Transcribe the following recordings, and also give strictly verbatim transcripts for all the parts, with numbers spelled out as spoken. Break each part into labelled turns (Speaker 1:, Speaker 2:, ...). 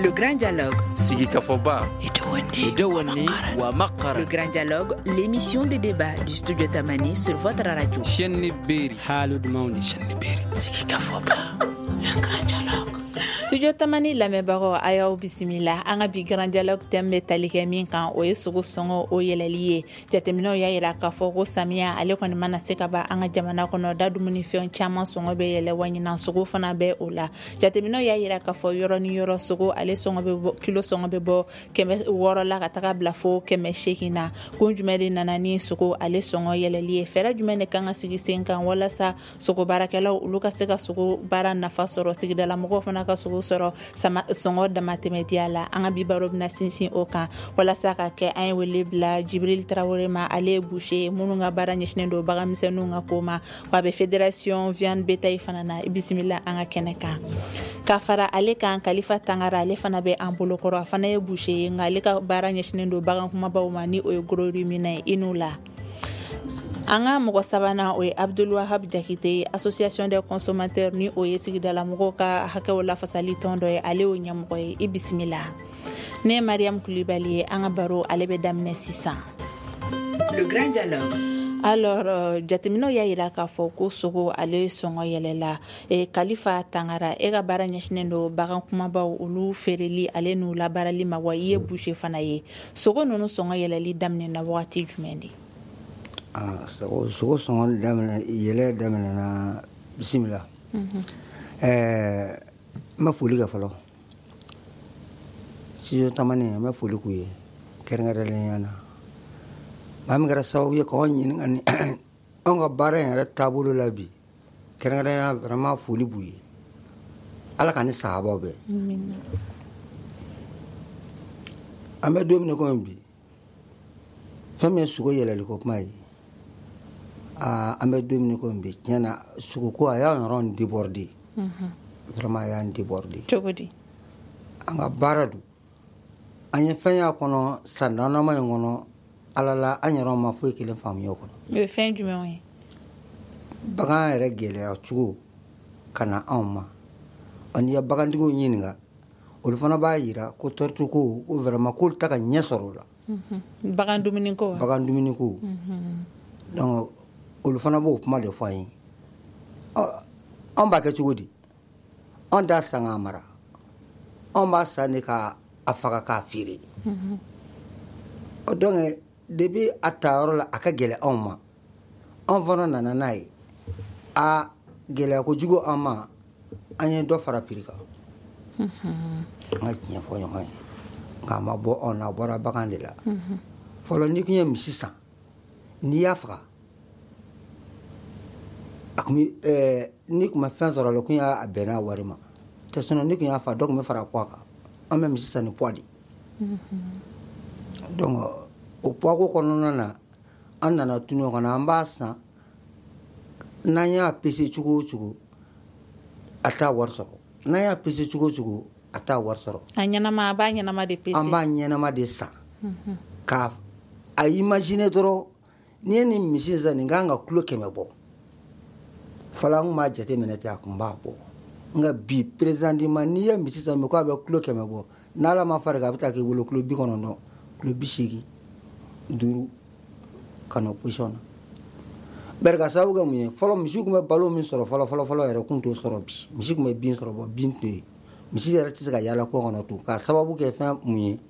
Speaker 1: Le Grand Dialogue.
Speaker 2: Sigikafɔba.
Speaker 1: Le Grand Dialogue, l'émission de débat du Studio Tamani sur votre radio. Le Grand Dialogue.
Speaker 3: Studio Tamani lamɛnbagaw, a y'aw bisimila. An ka bi Grand Dialogue thème bɛ tali kɛ min kan, o ye sogo sɔngɔ o yɛlɛli ye. Jateminɛw y'a yira k'a fɔ ko samiya ale kɔni mana se ka ban an ka jamana kɔnɔ, da dumunifɛn caman sɔngɔ bɛ yɛlɛ, wa ɲinan sogo fana bɛ o la. Jateminɛw y'a yira k'a fɔ yɔrɔ ni yɔrɔ sogo ale sɔngɔ bɛ bɔ, kilo sɔngɔ bɛ bɔ kɛmɛ wɔɔrɔ la ka taga bila fo kɛmɛ seegin na. Kun jumɛn de nana ni sogo ale sɔngɔ yɛlɛli ye? Fɛɛrɛ jumɛn de kan ka sigi sen kan walasa sogo baarakɛlaw olu ka se ka sogo baara nafa sɔrɔ, sigidala mɔgɔw fana ka sogo sɔrɔ sama sɔngɔ damatɛmɛdiya la? An ka bi baro bɛna sinsin o kan. Walasa ka kɛ, an ye wele bila Jibril Tarawele ma. Ale ye boucher minnu ka baara ɲɛsinnen don baganmisɛnninw ka ko ma, wa a bɛ fédération viande bétail fana na. I bisimila an ka kɛnɛ kan. Ka fara ale kan, Kalifa Tangara, ale fana bɛ an bolokɔrɔ. A fana ye boucher ye, nka ale ka baara ɲɛsinnen don bagan kumabaw ma, ni o ye gros ruminant ye. I n'u la. An ka mɔgɔ sabanan, o ye Abdulwahab Jakite, association des consommateurs, ni o ye sigidala mɔgɔw ka hakɛw lafasali tɔn dɔ ye, ale y'o ɲɛmɔgɔ ye. I bisimila. Ne ye Mariam Kulibali ye. An ka baro ale bɛ daminɛ sisan.
Speaker 1: Le Grand Dialogue.
Speaker 3: Alors, euh, jateminɛw y'a yira k'a fɔ ko sogo ale sɔngɔ yɛlɛla. E, Kalifa Tangara, e ka baara ɲɛsinnen don bagan kumabaw olu feereli ale n'u labaarali ma, wa i ye boucher fana ye. Sogo ninnu sɔngɔ yɛlɛli daminɛna wagati jumɛn de?
Speaker 4: Ah, sogo sogo sɔngɔ daminɛ yɛlɛ daminɛna, bisimila. Ɛɛ n bɛ foli kɛ fɔlɔ. Studio Tamani, n bɛ foli k'u ye kɛrɛnkɛrɛnnenya na. Maa min kɛra sababu ye k'anw ɲininka ni anw ka baara in yɛrɛ taabolo la bi, kɛrɛnkɛrɛnnenya, vraiment foli b'u ye. Ala ka ni sahabaw bɛn. An bɛ don min na komi bi, fɛn min ye sogo yɛlɛli ko kuma ye, aa an bɛ don min na komi bi, tiɲɛ na, sogoko a y'an yɛrɛ déborder. Vraiment a y'an déborder.
Speaker 3: Cogo di?
Speaker 4: An ka baara don, an ye fɛn y'a kɔnɔ san damadama in kɔnɔ, Ala la, an yɛrɛ ma foyi kelen faamuya o kɔnɔ.
Speaker 3: O ye fɛn jumɛnw ye?
Speaker 4: Bagan yɛrɛ gɛlɛya cogo ka na anw ma. N'i ye bagantigiw ɲininka, olu fana b'a yira ko tɔrɔtu ko ko vraiment k'olu ta ka ɲɛ sɔrɔ o la.
Speaker 3: Bagan dumuni ko wa?
Speaker 4: Bagan dumuni ko. Donc olu fana b'o kuma de fɔ an ye. Ɔ, anw b'a kɛ cogo di? Anw t'a san k'a mara, anw b'a san de k'a faga k'a feere. Ɔ, donc depuis a ta yɔrɔ la, a ka gɛlɛn anw ma. Anw fana nana n'a ye, a gɛlɛya kojugu an ma, an ye dɔ fara prix kan. An ka tiɲɛ fɔ ɲɔgɔn ye, nka a ma bɔ anw na, a bɔra bagan de la. Fɔlɔ, n'i kun ye misi san, n'i y'a faga, a kun bɛ ɛɛ n'i kun ma fɛn sɔrɔ a la, o kun y'a bɛn n'a wari ma tɛ. Sinon n'i kun y'a fa, dɔ kun bɛ fara poids kan. An bɛ misi san ni poids de. Donc o poids ko kɔnɔna na, an nana tunu o kɔnɔ. An b'a san, n'an y'a pese cogo o cogo, a t'a wari sɔrɔ. N'an y'a pese cogo o cogo, a t'a wari sɔrɔ.
Speaker 3: A ɲɛnama, a b'a ɲɛnama de pese.
Speaker 4: An b'a ɲɛnama de san k'a a imaginer dɔrɔn, n'i ye nin misi san, nin kan ka kilo kɛmɛ bɔ. Fɔlɔ, an kun b'a jateminɛ ten, a kun b'a bɔ. Nka bi, présentement, n'i ye misi san bi k'a bɛ kilo kɛmɛ bɔ, n'Ala ma far'i kan, a bɛ taa k'i bolo kilo bi kɔnɔntɔn, kilo bi seegin duuru ka na o position na. Bari ka sababu kɛ mun ye? Fɔlɔ, misi kun bɛ balo min sɔrɔ fɔlɔ fɔlɔ fɔlɔ yɛrɛ, kun t'o sɔrɔ bi. Misi kun bɛ bin sɔrɔ, bɔ bin tɛ yen. Misi yɛrɛ tɛ se ka yaala kɔ kɔnɔ tun, k'a sababu kɛ fɛn mun ye?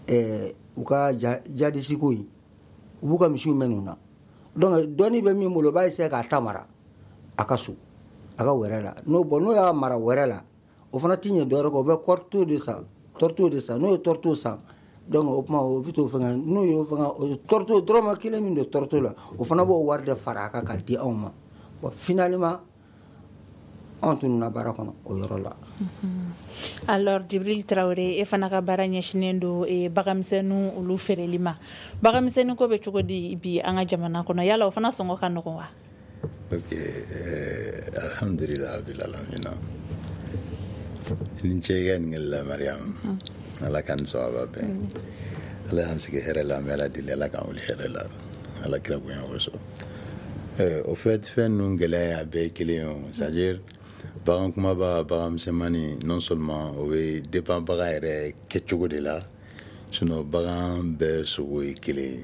Speaker 4: Ɛɛ u ka jadisi ko in, u b'u ka misiw mɛn nin na. Donc dɔnni bɛ min bolo, o b'a essayer k'a ta mara a ka so, a ka wɛrɛ la. N'o bɔn, n'o y'a mara wɛrɛ la, o fana ti ɲɛ dɔwɛrɛ kɔ, o bɛ kɔrito de san, tourteau de san. N'o ye tourteau san, donc o tuma o bɛ t'o fɛngɛ. N'o y'o fɛngɛ, o tourteau dɔrɔmɛ kelen min don tourteau la, o fana b'o wari de fara a kan ka di anw ma. Bon, finalement anw tununna baara kɔnɔ o yɔrɔ la.
Speaker 3: Alors, Jibril Traoré, e fana ka baara ɲɛsinnen don e, baganmisɛnninw olu feereli ma. Baganmisɛnnin ko bɛ cogo di bi an ka jamana kɔnɔ? Yala o fana sɔngɔ ka nɔgɔn wa?
Speaker 5: Ok, eh, alhamdulillah rabbil alamin. Ni ce i ka ɲininkali la, Mariam. Ala ka nin sababa bɛn. Ala y'an sigi hɛrɛ la, an bɛ Ala deli, Ala k'an wuli hɛrɛ la, Ala kira bonya kosɔn. Eh, au fait, fɛn ninnu gɛlɛya a bɛɛ ye kelen ye o. C'est à dire Bagan kumaba, bagan misɛnmanin, non seulement o bɛ dépend bagan yɛrɛ kɛcogo de la, sinon bagan bɛɛ sogo ye kelen ye.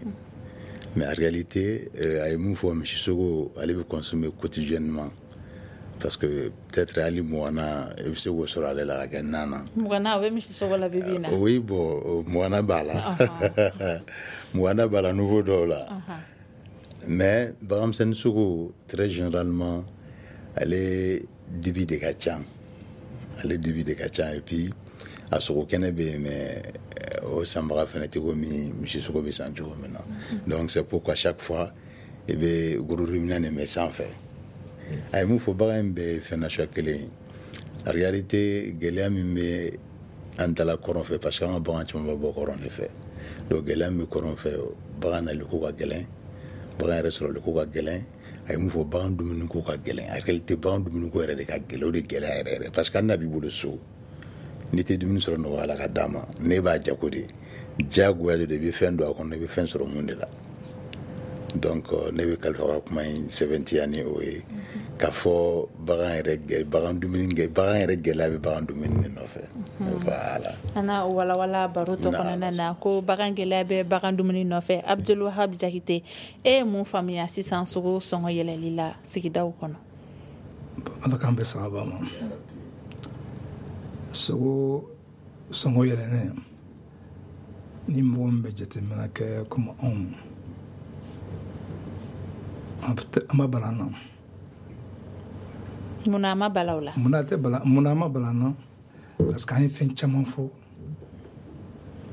Speaker 5: Mais en réalité, euh, a ye mun fɔ, misi sogo, ale bɛ consommer quotidiennement, parce que peut-être hali mugan i bɛ se k'o sɔrɔ ale la ka kɛ nan na.
Speaker 3: Mugan o bɛ misi sogo la bi bi in na?
Speaker 5: Oui, bon, mugan b'a la, mugan b'a la niveau dɔw la. Mais bagan misɛnnin sogo, très généralement, ale dibi de ka ca, ale dibi de ka ca. Et puis a sogo kɛnɛ bɛ yen, mais o sanbaga fɛnɛ tɛ komi misi sogo bɛ san cogo min na. Donc c'est pourquoi chaque fois i bɛ gros ruminant de mɛn sanfɛ. A ye mun fɔ, bagan in bɛɛ ye fɛn nasuguya kelen ye. En réalité, gɛlɛya min bɛ an dala kɔrɔn fɛ, parce que an ka bagan caman bɛ bɔ kɔrɔn de fɛ, donc gɛlɛya min bɛ kɔrɔn fɛ, bagan nali ko ka gɛlɛn, bagan yɛrɛ sɔrɔli ko ka gɛlɛn. A ye mun fɔ, bagan dumuni ko ka gɛlɛn. En réalité, bagan dumuni ko yɛrɛ de ka gɛlɛn, o de gɛlɛya yɛrɛ yɛrɛ, parce que hali n'a b'i bolo so, n'i tɛ dumuni sɔrɔ nɔgɔya la ka d'a ma, ne b'a jago de, diyagoya de, i bɛ fɛn don a kɔnɔ, i bɛ fɛn sɔrɔ mun de la. Donc ne bɛ kalifa ka kuma in sɛbɛntiya ni o ye, k'a fɔ bagan yɛrɛ, bagan dumuni, bagan yɛrɛ gɛlɛya bɛ bagan dumuni de nɔfɛ. Voilà.
Speaker 3: An na walawala baro tɔ kɔnɔna na ko bagan gɛlɛya bɛ bagan dumuni nɔfɛ. Abdulwahab Jakite, e ye mun faamuya sisan sogo sɔngɔ yɛlɛli la sigidaw kɔnɔ?
Speaker 2: Ala k'an bɛn sababa ma. Sogo sɔngɔ yɛlɛnnen, ni mɔgɔ min bɛ jateminɛ kɛ komi anw, an ma bala an na.
Speaker 3: Munna a ma bala o la?
Speaker 2: Munna tɛ bala, munna a ma bala an na? Parce que an ye fɛn caman fɔ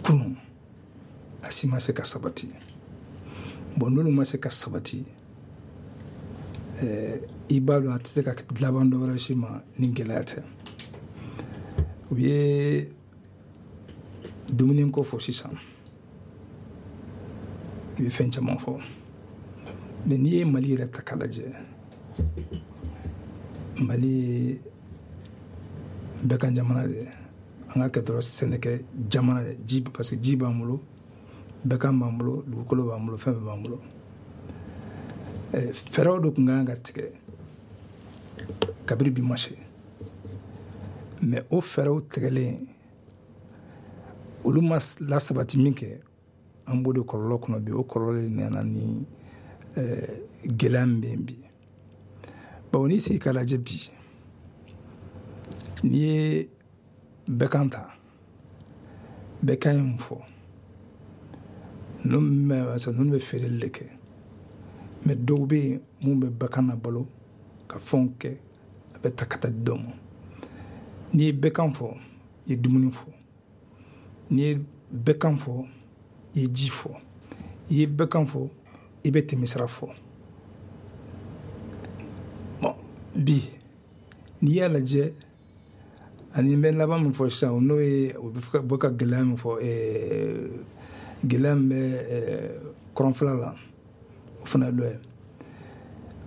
Speaker 2: kunun, a si ma se ka sabati. Bon, n'olu ma se ka sabati, ɛɛ i b'a dɔn a tɛ se ka laban dɔ wɛrɛ si ma ni gɛlɛya tɛ. U ye dumuni ko fɔ sisan, i bɛ fɛn caman fɔ, mais n'i ye Mali yɛrɛ ta k'a lajɛ, Mali ye bɛɛ ka jamana de ye. An ka kɛ dɔrɔn sɛnɛkɛ jamana de ji, parce que ji b'an bolo, bɛɛ kan b'an bolo, dugukolo b'an bolo, fɛn bɛɛ b'an bolo. Fɛɛrɛw de tun kan ka tigɛ kabini bi ma se, mais o fɛɛrɛw tigɛlen, olu ma lasabati min kɛ, an b'o de kɔlɔlɔ kɔnɔ bi. O kɔlɔlɔ de nana ni gɛlɛya min bɛ yen bi. Bawo n'i sigi k'a lajɛ bi, n'i ye bɛɛ kan ta, bɛɛ kan ye mun fɔ, ninnu bɛ feereli de kɛ, mais dɔw bɛ yen mun bɛ bɛɛ na balo ka fɛnw kɛ, a bɛ ta ka taa di dɔw ma. N'i ye bɛɛ kan fɔ, i ye dumuni fɔ. N'i ye bɛɛ kan fɔ, i ye ji fɔ. I ye bɛɛ kan fɔ, i bɛ tɛmɛsira fɔ. Bon, bi n'i y'a lajɛ, ani n bɛ laban min fɔ sisan, n'o ye o bɛ ka gɛlɛya min fɔ, gɛlɛya min bɛ kɔrɔnfɛla la, o fana ye dɔ ye.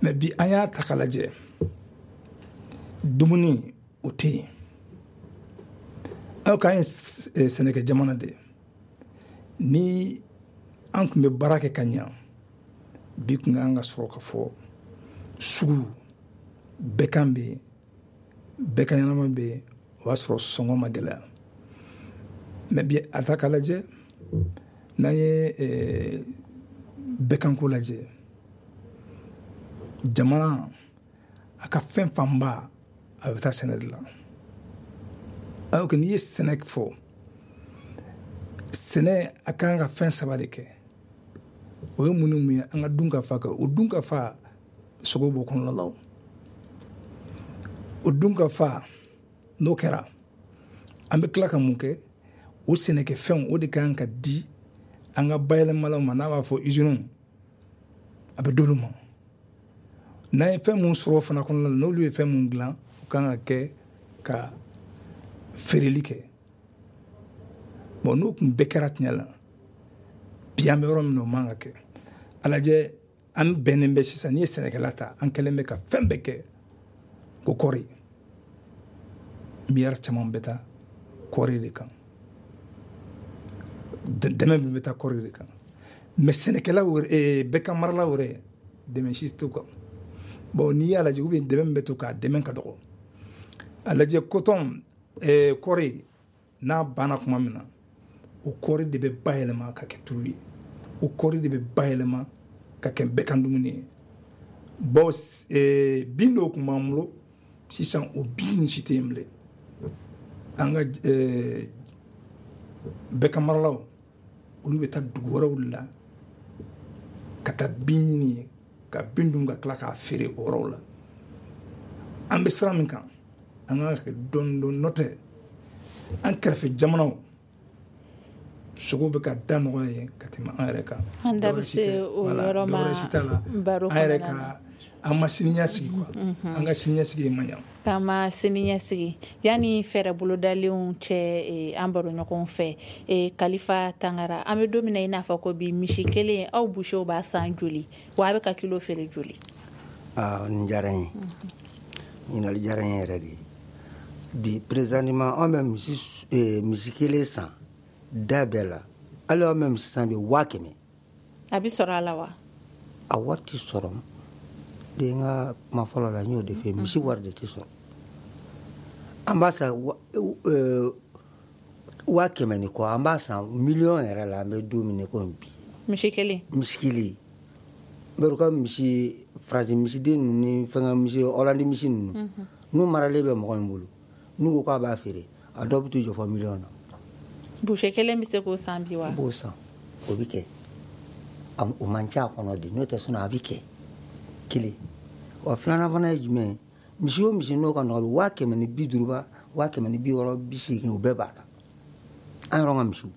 Speaker 2: Mais bi an y'a ta k'a lajɛ, dumuni o tɛ yen. Aw k'an ye sɛnɛkɛ jamana de ye. Ni an tun bɛ baara kɛ ka ɲa, bi tun kan ka sɔrɔ ka fɔ sugu bɛɛ kan bɛ yen, bɛɛ ka ɲɛnama bɛ yen, o y'a sɔrɔ sɔngɔ ma gɛlɛya. Mais bi a ta k'a lajɛ, n'an ye bɛɛ kanko lajɛ, jamana a ka fɛn fanba a bɛ taa sɛnɛ de la. Alors que n'i ye sɛnɛ fɔ, sɛnɛ a kan ka fɛn saba de kɛ. O ye mun ni mun ye? An ka dun ka fa kɛ. O dun ka fa, sogo b'o kɔnɔna la. O dun ka fa, n'o kɛra, an bɛ tila ka mun kɛ? O sɛnɛkɛfɛnw, o de kan ka di an ka bayɛlɛmalaw ma, n'a b'a fɔ usines, a bɛ d'olu ma. N'an ye fɛn mun sɔrɔ o fana kɔnɔna la, n'olu ye fɛn mun dilan, o kan ka kɛ ka feereli kɛ. Bon, n'o tun bɛɛ kɛra tiɲɛ la, bi an bɛ yɔrɔ min na, o man ka kɛ. A lajɛ, an bɛnnen bɛ sisan, n'i ye sɛnɛkɛla ta, an kɛlen bɛ ka fɛn bɛɛ kɛ ko kɔɔri. Miliyari caman bɛ taa kɔɔri de kan, dɛmɛ bɛ taa kɔɔri de kan. Mais sɛnɛkɛlaw yɛrɛ, bɛɛ ka maralaw yɛrɛ, dɛmɛ si t'u kan. Bon, n'i y'a lajɛ, ou bien dɛmɛ min bɛ to k'a dɛmɛ ka dɔgɔ. A lajɛ coton eh, kɔɔri n'a banna tuma min na, o kɔɔri de bɛ bayɛlɛma ka kɛ tulu ye, o kɔɔri de bɛ bayɛlɛma ka kɛ bɛɛ kan dumuni ye. Bon, eh, bin dɔw tun b'an bolo, sisan o bin si tɛ yen bilen. An ka eh, bɛɛ maralaw, olu bɛ taa dugu wɛrɛw la ka taa bin ɲini yen, ka bin dun, ka tila k'a feere o yɔrɔw la. An bɛ sira min kan, an ka kɛ dɔɔni dɔɔni, n'o tɛ an kɛrɛfɛ jamanaw sogo bɛ ka da nɔgɔya ye ka tɛmɛ an yɛrɛ kan.
Speaker 3: An da bɛ se o yɔrɔ ma baro
Speaker 2: an yɛrɛ ka, an ma siniɲɛsigi quoi, an ka siniɲɛsigi de man ɲa.
Speaker 3: K'an ma siniɲɛsigi. Yanni fɛɛrɛ bolodalenw cɛ, an baro ɲɔgɔn fɛ, Kalifa Tangara, an bɛ don min na i n'a fɔ ko bi, misi kelen aw busew b'a san joli, wa a bɛ ka kilo feere joli?
Speaker 4: Aa, nin diyara n ye, ɲininkali diyara n ye yɛrɛ de. Bi présentement, an bɛ misi misi kelen san da bɛɛ la, hali an bɛ misi san bi waa kɛmɛ.
Speaker 3: A bɛ sɔrɔ a la wa?
Speaker 4: A wari tɛ sɔrɔ de. N ka kuma fɔlɔ la, n y'o de fɛ, misi wari de tɛ sɔrɔ. An b'a san waa kɛmɛ ni kɔ, an b'a san miliyɔn yɛrɛ la, an bɛ don min na komi bi.
Speaker 3: Misi kelen?
Speaker 4: Misi kelen. Bari u ka misi faransi misiden ninnu ni fɛnkɛ misi, Ɔlandi misi ninnu, n'u maralen bɛ mɔgɔ min bolo, n'u ko k'a b'a feere, a dɔw bɛ t'u jɔ fɔ miliyɔn na.
Speaker 3: Boucher kelen bɛ se k'o san bi wa?
Speaker 4: I b'o san, o bɛ kɛ. O man ca a kɔnɔ de, n'o tɛ sinon a bɛ kɛ kelen. Wa filanan fana ye jumɛn ye? Misi o misi n'o ka nɔgɔ, waa kɛmɛ ni bi duuru ba, waa kɛmɛ ni bi wɔɔrɔ, bi seegin, o bɛɛ b'a la. An yɛrɛ ka misiw.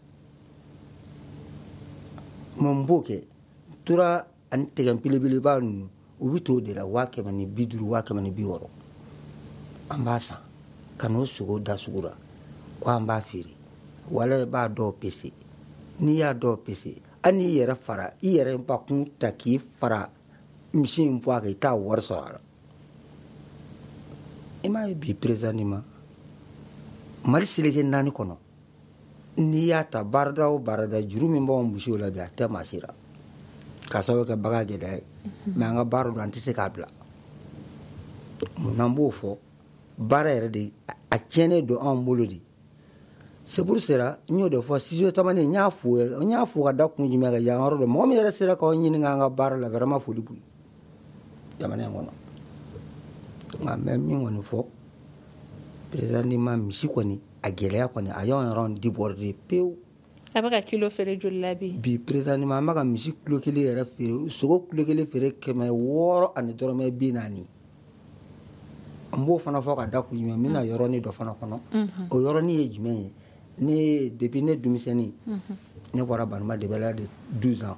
Speaker 4: Mɛ n b'o kɛ, tora ani tɛgɛ belebeleba ninnu, u bɛ t'o de la waa kɛmɛ ni bi duuru, waa kɛmɛ ni bi wɔɔrɔ. An b'a san ka n'o sogo da sugu la ko an b'a feere. Wala i b'a dɔw pese, n'i y'a dɔw pese, hali n'i yɛrɛ fara i yɛrɛ bakun ta k'i fara misi in bɔ a kan, i t'a wari sɔrɔ a la. I m'a ye bi présentement, Mali seleke naani kɔnɔ, n'i y'a ta baarada o baarada, juru min b'anw misiw la bi, a tɛ maa si la, k'a sababu kɛ bagan gɛlɛya ye. Mɛ an ka baara don, an tɛ se k'a bila. Munna n b'o fɔ? Baara yɛrɛ de a tiɲɛnen don anw bolo de. C'est pour cela n y'o de fɔ studio Tamani, n y'a fo, n y'a fo ka da kun jumɛn kan, yan yɔrɔ dɔ mɔgɔ min yɛrɛ sera k'aw ɲininka an ka baara la, vraiment foli b'u ye jamana in kɔnɔ. Nka n bɛ min kɔni fɔ présentement, misi kɔni a gɛlɛya kɔni a y'anw yɛrɛ déborder pewu.
Speaker 3: A bɛ ka kilo feere joli la bi?
Speaker 4: Bi présentement, an bɛ ka misi kilo kelen yɛrɛ feere, sogo kilo kelen feere kɛmɛ wɔɔrɔ ani dɔrɔmɛ bi naani. N b'o fana fɔ ka da kun jumɛn, n bɛna yɔrɔnin dɔ fana kɔnɔ. O yɔrɔnin ye jumɛn ye? Ne depuis ne denmisɛnnin, ne bɔra Banuma de bɛ de douze ans,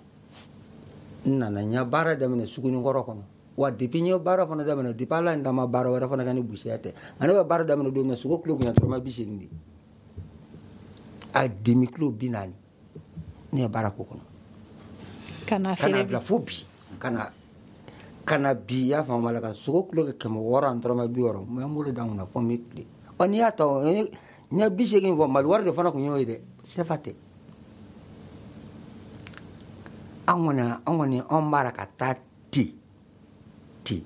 Speaker 4: n nana n ye baara daminɛ Sugunikɔrɔ kɔnɔ. Wa depuis n ye baara fana daminɛ, depuis Ala ye n dama baara wɛrɛ fana kɛ ni busiya tɛ, nka ne bɛ baara daminɛ don min na, sogo kilo kun ye dɔrɔmɛ bi seegin de, a demi kilo bi naani. Ne ye baara k'o kɔnɔ
Speaker 3: ka na
Speaker 4: ka na bila fo bi, ka na ka na bi, i y'a faamu la, ka sogo kilo kɛ kɛmɛ wɔɔrɔ ani dɔrɔmɛ bi wɔɔrɔ. N bɛ n bolo da n kunna fo n bɛ tile. Ɔ n'i y'a ta, n ye bi seegin fɔ, Mali wari de fana kun y'o ye dɛ, sefa tɛ. An kɔni an kɔni anw b'a la ka taa ten ten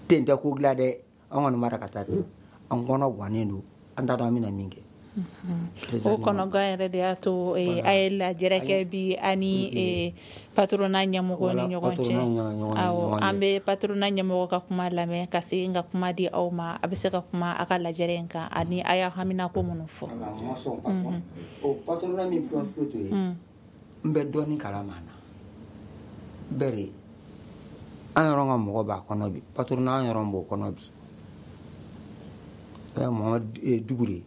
Speaker 4: ten tɛ ko dilan dɛ, an kɔni b'a la ka taa ten. An kɔnɔ gannen don, an t'a dɔn an bɛna min kɛ.
Speaker 3: O kɔnɔgan yɛrɛ de y'a to a ye lajɛrɛ kɛ bi ani patronat ɲɛmɔgɔ ni ɲɔgɔn cɛ. Awɔ, an bɛ patronat ɲɛmɔgɔ ka kuma lamɛn ka segin ka kuma di aw ma. A bɛ se ka kuma a ka lajɛrɛ in kan ani a y'a haminako minnu fɔ.
Speaker 4: O patronat min filɛ to ye, n bɛ dɔɔnin kalama na. Bɛri an yɛrɛ ka mɔgɔ b'a kɔnɔ bi, patronat an yɛrɛ b'o kɔnɔ bi. Mohamed Dugure,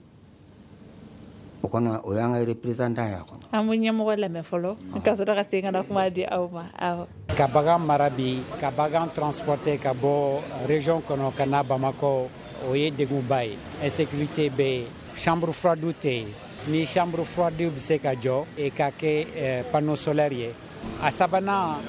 Speaker 4: o kɔnɔ o y'an ka représentant y'a kɔnɔ.
Speaker 3: An bɛ ɲɛmɔgɔ lamɛn fɔlɔ ka sɔrɔ ka segin ka na kuma di aw ma. Awɔ.
Speaker 6: Ka bagan mara bi, ka bagan transporter ka bɔ région kɔnɔ ka na Bamakɔ, o ye degunba ye. Insécurité bɛ yen, chambre froide tɛ yen. Ni chambre froide bɛ se ka jɔ e ka kɛ panneau solaire ye. A sabanan,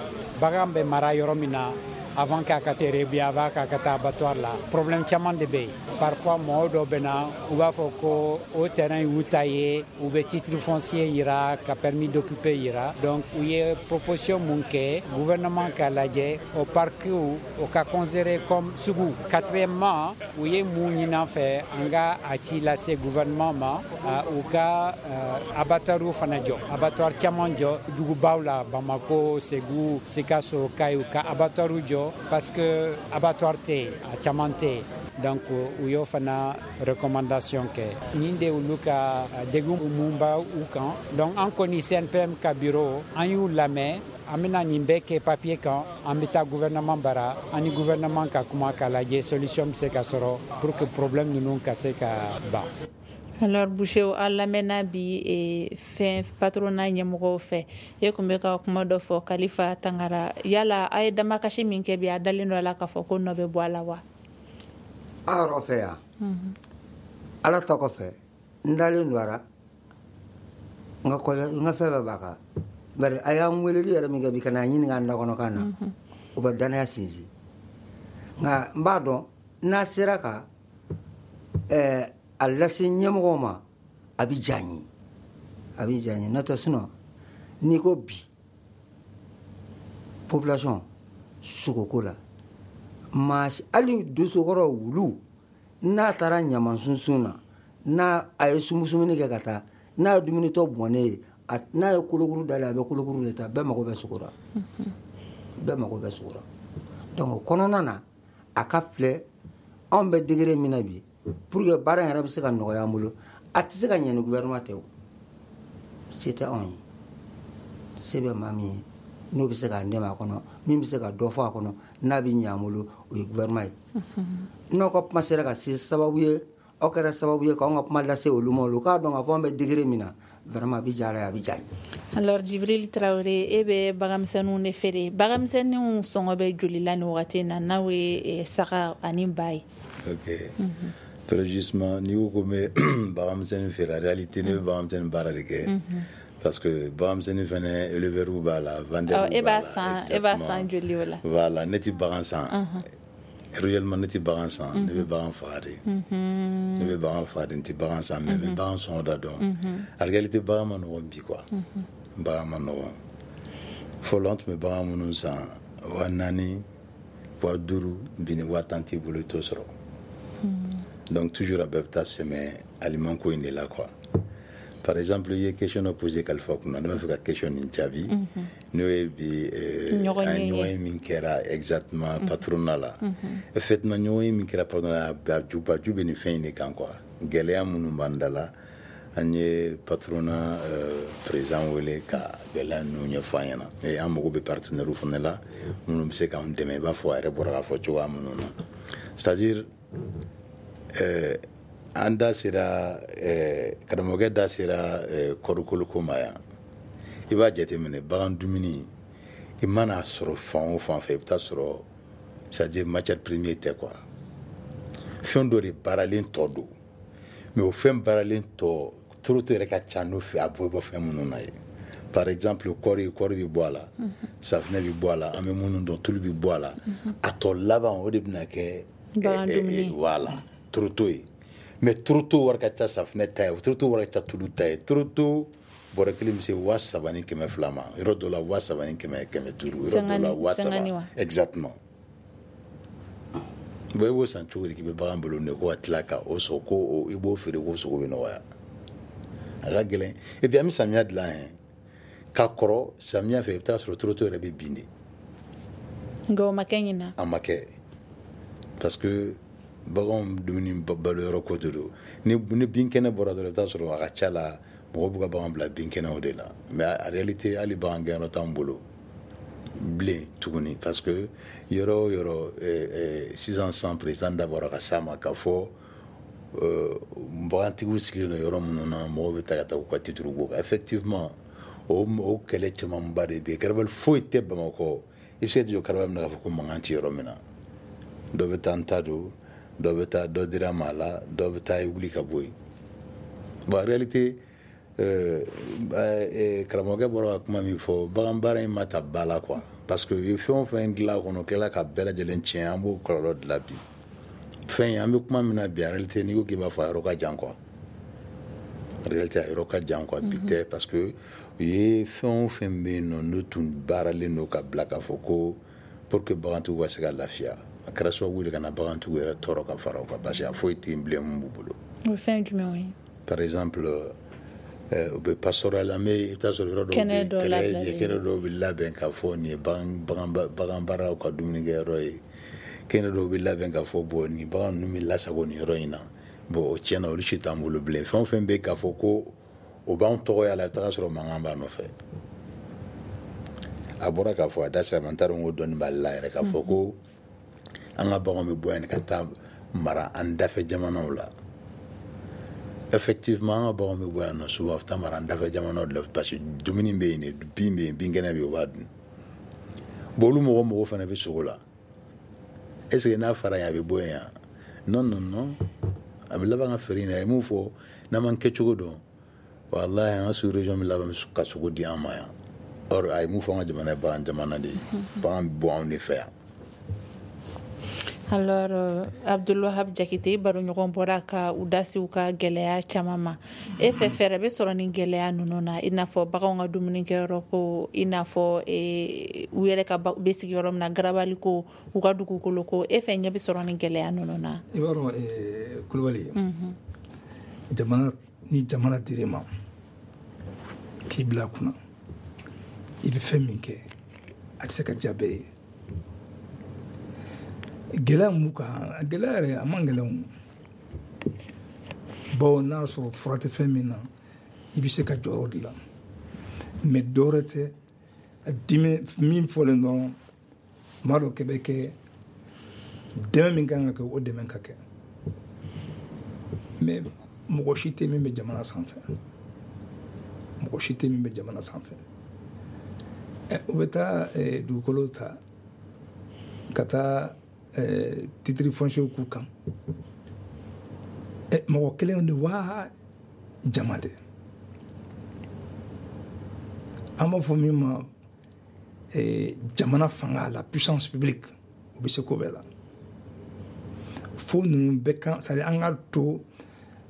Speaker 6: bagan bɛ mara yɔrɔ min na, Avant k'a ka feere ou bien avant k'a ka taa abattoir la, problème caman de bɛ yen. Parfois mɔgɔw dɔw bɛ na, u b'a fɔ ko o terrain y'u ta ye, u bɛ titre foncier yira, ka permis d'occuper yira. Donc u ye proposition mun kɛ, gouvernement k'a lajɛ o parc o ka considérer comme sugu. Quatrièmement, u ye mun ɲini an fɛ, an ka a ci lase gouvernement ma, u ka abattoir fana jɔ, abattoir caman jɔ dugubaw la, Bamako, Segu, Sikaso, Kayi, u ka abattoir jɔ parce que abattoir tɛ yen, a caman tɛ yen. Donc u y'o fana recommandation kɛ. Nin de olu ka degun mun b'a u kan. Donc an kɔni C N P M ka bureau, an y'u lamɛn, an bɛna nin bɛɛ kɛ papier kan, an bɛ taa gouvernement bara, an ni gouvernement ka kuma k'a lajɛ solution bɛ se ka sɔrɔ pour que problème ninnu ka se ka ban.
Speaker 3: Alors Boucher, aw lamɛnna bi e, fɛn patronat ɲɛmɔgɔw fɛ. E kun bɛ ka kuma dɔ fɔ, Kalifa Tangara. Yala a ye damakasi min kɛ bi, a dalen dɔ a la k'a fɔ ko nɔ bɛ bɔ a la wa?
Speaker 4: An yɛrɛ fɛ yan, Ala ta kɔfɛ, n dalen don a la, n ka kɔlɛ, n ka fɛn bɛɛ b'a kan. Bari a y'an weleli yɛrɛ min kɛ bi ka n'a ɲininka an dakɔnɔkan na, o bɛ danaya sinsin. Nka n b'a dɔn n'a sera ka ɛɛ a lase ɲɛmɔgɔw ma, a bɛ diya n ye, a bɛ diya n ye. N'o tɛ, sinon n'i ko bi population sogoko la, maa si, hali dosokɔrɔ wulu, n'a taara ɲama sunsun na, n'a a ye sumusumuni kɛ ka taa, n'a ye dumunitɔ bɔnnen ye, n'a ye kolokuru dalen, a bɛ kolokuru de ta. Bɛɛ mago bɛ sogo la, bɛɛ mago bɛ sogo la. Donc o kɔnɔna na, a ka filɛ anw bɛ degré min na bi, pour que baara in yɛrɛ bɛ se ka nɔgɔya an bolo, a tɛ se ka ɲɛ ni gouvernement tɛ. O se tɛ anw ye, se bɛ maa min ye, n'o bɛ se k'an dɛmɛ a kɔnɔ, min bɛ se ka dɔ fɔ a kɔnɔ, n'a bɛ ɲɛ an bolo, o ye gouvernement ye. N'aw ka kuma sera ka se sababu ye, aw kɛra sababu ye k'anw ka kuma lase olu ma, olu k'a dɔn k'a fɔ an bɛ degré min na, vraiment a bɛ diya Ala ye, a bɛ diya n ye.
Speaker 3: Alors Jibril Traoré, e bɛ baganmisɛnninw de feere. Baganmisɛnninw sɔngɔ bɛ joli la nin wagati in na, n'aw ye saga ani ba ye?
Speaker 5: Ok. Mm -hmm. Très justement, n'i ko ko n bɛ baganmisɛnnin feere, en réalité ne bɛ baganmisɛnnin baara de kɛ. Parce que baganmisɛnnin fɛnɛ, éleveur b'a la, vendeur
Speaker 3: b'a la.
Speaker 5: E
Speaker 3: b'a san, e b'a san joli o la?
Speaker 5: Voilà, ne ti bagan san. Réellement, ne ti bagan san, ne bɛ bagan faga de. Ne bɛ bagan faga de, n ti bagan san, mais n bɛ bagan sɔngɔ da dɔn. En réalité, bagan ma nɔgɔn bi quoi. Bagan ma nɔgɔn. Fɔlɔ an tun bɛ bagan minnu san wa naani, wa duuru, bi ni wa tan t'i bolo, i t'o sɔrɔ. Donc toujours a bɛɛ bɛ taa sɛmɛ aliment ko in de la quoi. Par exemple, i ye question dɔ posé Kalifa kunna, ne b'a fɛ ka question nin jaabi, n'o ye bi an ɲɔgɔn ye min kɛra exactement patronat la. Effectivement, ɲɔgɔn ye min kɛra patronat la, a jubaju bɛ nin fɛn in de kan quoi. Gɛlɛya minnu b'an da la, an ye patronat président wele ka gɛlɛya ninnu ɲɛfɔ an ɲɛna. Et an mago bɛ partenaire fana la minnu bɛ se k'an dɛmɛ, i b'a fɔ a yɛrɛ bɔra k'a fɔ cogoya minnu na. C'est-à-dire euh, an da sera, karamɔgɔkɛ da sera kɔɔrikoloko ma yan. I b'a jateminɛ, bagan dumuni, i mana sɔrɔ fan o fan fɛ, i bɛ taa sɔrɔ, c'est à dire matière première tɛ quoi. Fɛn dɔ de baaralen tɔ don, mais o fɛn baaralen tɔ toroto yɛrɛ ka ca n'o fɛ, a bɔ bɔ fɛn minnu na ye. Par exemple, kɔɔri, kɔɔri bɛ bɔ a la, safunɛ bɛ bɔ a la, an bɛ minnu dɔn, tulu bɛ bɔ a la. A tɔ laban, o de bɛna kɛ voilà, toroto ye. Mais toroto wari ka ca safunɛ ta ye, toroto wari ka ca tulu ta ye. Toroto bɔrɛ kelen bɛ se wa saba ni kɛmɛ fila ma, yɔrɔ dɔ la wa saba ni kɛmɛ kɛmɛ duuru, yɔrɔ dɔ la wa saba exactement. Bon, i b'o san cogo di k'i bɛ bagan balo ne ko ka tila ka o sɔrɔ ko i b'o feere ko sogo bɛ nɔgɔya? A ka gɛlɛn. Et puis an bɛ samiya dilan yɛn ka kɔrɔ, samiya fɛ i bɛ taa sɔrɔ toroto yɛrɛ bɛ bin de.
Speaker 3: Nka o ma kɛ ɲinan.
Speaker 5: A ma kɛ parce que baganw dumuni balo yɔrɔ ko de don. Ni ni bin kɛnɛ bɔra dɔrɔn, i bɛ taa sɔrɔ a ka ca la, mɔgɔw b'u ka bagan bila bin kɛnɛw de la. Mais en réalité, hali bagan gɛnyɔrɔ t'anw bolo bilen tuguni, parce que yɔrɔ o yɔrɔ sisan sisan, président da bɔra ka s'a ma k'a fɔ bagantigiw sigilen don yɔrɔ minnu na, mɔgɔw bɛ taa ka taa k'u ka titre bɔ. Effectivement, o o kɛlɛ camanba de bɛ yen. Garabali foyi tɛ Bamakɔ, i bɛ se ka jɔ garabali min na k'a fɔ ko mankan tɛ yɔrɔ min na. Dɔ bɛ taa n ta don, dɔ bɛ taa dɔ dira maa la, dɔ bɛ taa i wuli ka bɔ yen. Bon, en réalité, karamɔgɔkɛ bɔra ka kuma min fɔ, bagan baara in ma ta ba la quoi. Parce que u ye fɛn o fɛn dilan kɔnɔ, tilala ka bɛɛ lajɛlen tiɲɛ, an b'o kɔlɔlɔ de la bi. Fɛn in, an bɛ kuma min na bi, en réalité, n'i ko k'i b'a fɔ, a yɔrɔ ka jan quoi. En réalité, a yɔrɔ ka jan quoi, bi tɛ, parce que u ye fɛn o fɛn bɛ yen nɔ, n'o tun baaralen don ka bila k'a fɔ ko pour que bagantigiw ka se ka lafiya, a kɛra sababu de ka na bagantigiw yɛrɛ tɔɔrɔ ka fara o kan, parce que a foyi tɛ yen bilen mun b'u bolo.
Speaker 3: O ye fɛn jumɛnw ye?
Speaker 5: Par exemple, u bɛ pastoral, an bɛ, i bɛ taa sɔrɔ yɔrɔ dɔw
Speaker 3: kɛnɛ dɔ
Speaker 5: bɛ
Speaker 3: labilalen,
Speaker 5: kɛnɛ dɔw bɛ labɛn k'a fɔ nin ye bagan bagan bagan baaraw ka dumunikɛyɔrɔ ye. Kɛnɛ dɔw bɛ labɛn k'a fɔ bon, nin bagan ninnu bɛ lasago nin yɔrɔ in na. Bon, o tiɲɛna, olu si t'an bolo bilen. Fɛn o fɛn bɛ k'a fɔ ko o b'anw tɔgɔya la, i bɛ taga sɔrɔ mankan b'a nɔfɛ. A bɔra k'a fɔ, a da sera ma, n t'a dɔn ko dɔnni b'ale la yɛrɛ, k'a fɔ ko an ka baganw bɛ bɔ yan ka taa mara an dafɛ jamanaw la. Effectivement, an ka baganw bɛ bɔ yan nɔ souvent, a bɛ taa mara an dafɛ jamanaw de la, parce que dumuni bɛ yen de, bin bɛ yen, binkɛnɛ bɛ yen, u b'a dun. Bon, olu mɔgɔ mɔgɔ fana bɛ sogo la. Est ce que n'a fara yen, a bɛ bɔ yen yan? Non, non, non, a bɛ laban ka feere yen. A ye mun fɔ? N'an m'an kɛcogo dɔn, walahi, an ka sous région bɛ laban ka sogo di an ma yan. Or a ye mun fɔ? An ka jamana ye bagan jamana de ye, bagan bɛ bɔ anw de fɛ yan.
Speaker 3: Alors, euh, Abdulwahab Jakite, baroɲɔgɔn bɔra ka u da se u ka gɛlɛya caman ma. E fɛ, fɛɛrɛ bɛ sɔrɔ ni gɛlɛya ninnu na, i n'a fɔ baganw ka dumunikɛyɔrɔ ko, i n'a fɔ e, u yɛrɛ ka bɛ sigi yɔrɔ min na, garabali ko, u ka dugukolo ko, e fɛ ɲɛ bɛ sɔrɔ ni gɛlɛya ninnu na?
Speaker 2: I b'a dɔn, Kulubali, jamana ni jamana dir'i ma k'i bila a kunna, i bɛ fɛn min kɛ, a tɛ se ka diya bɛɛ ye. Gɛlɛya mun kan? Gɛlɛya yɛrɛ, a man gɛlɛn o, bawo n'a sɔrɔ fura tɛ fɛn min na, i bɛ se ka jɔyɔrɔ dilan. Mais dɔwɛrɛ tɛ, a dimi min fɔlen dɔrɔn, maa dɔ kɛ bɛ kɛ dɛmɛ min kan ka kɛ, o dɛmɛ ka kɛ. Mais mɔgɔ si tɛ min bɛ jamana sanfɛ, mɔgɔ si tɛ min bɛ jamana sanfɛ. Ɛ, u bɛ taa dugukolo ta ka taa titre foncier k'u kan. Ɛ, mɔgɔ kelen de wa jama de? An b'a fɔ min ma jamana fanga, la puissance publique, o bɛ se ko bɛɛ la. Fo ninnu bɛɛ kan, c'est à dire an ka to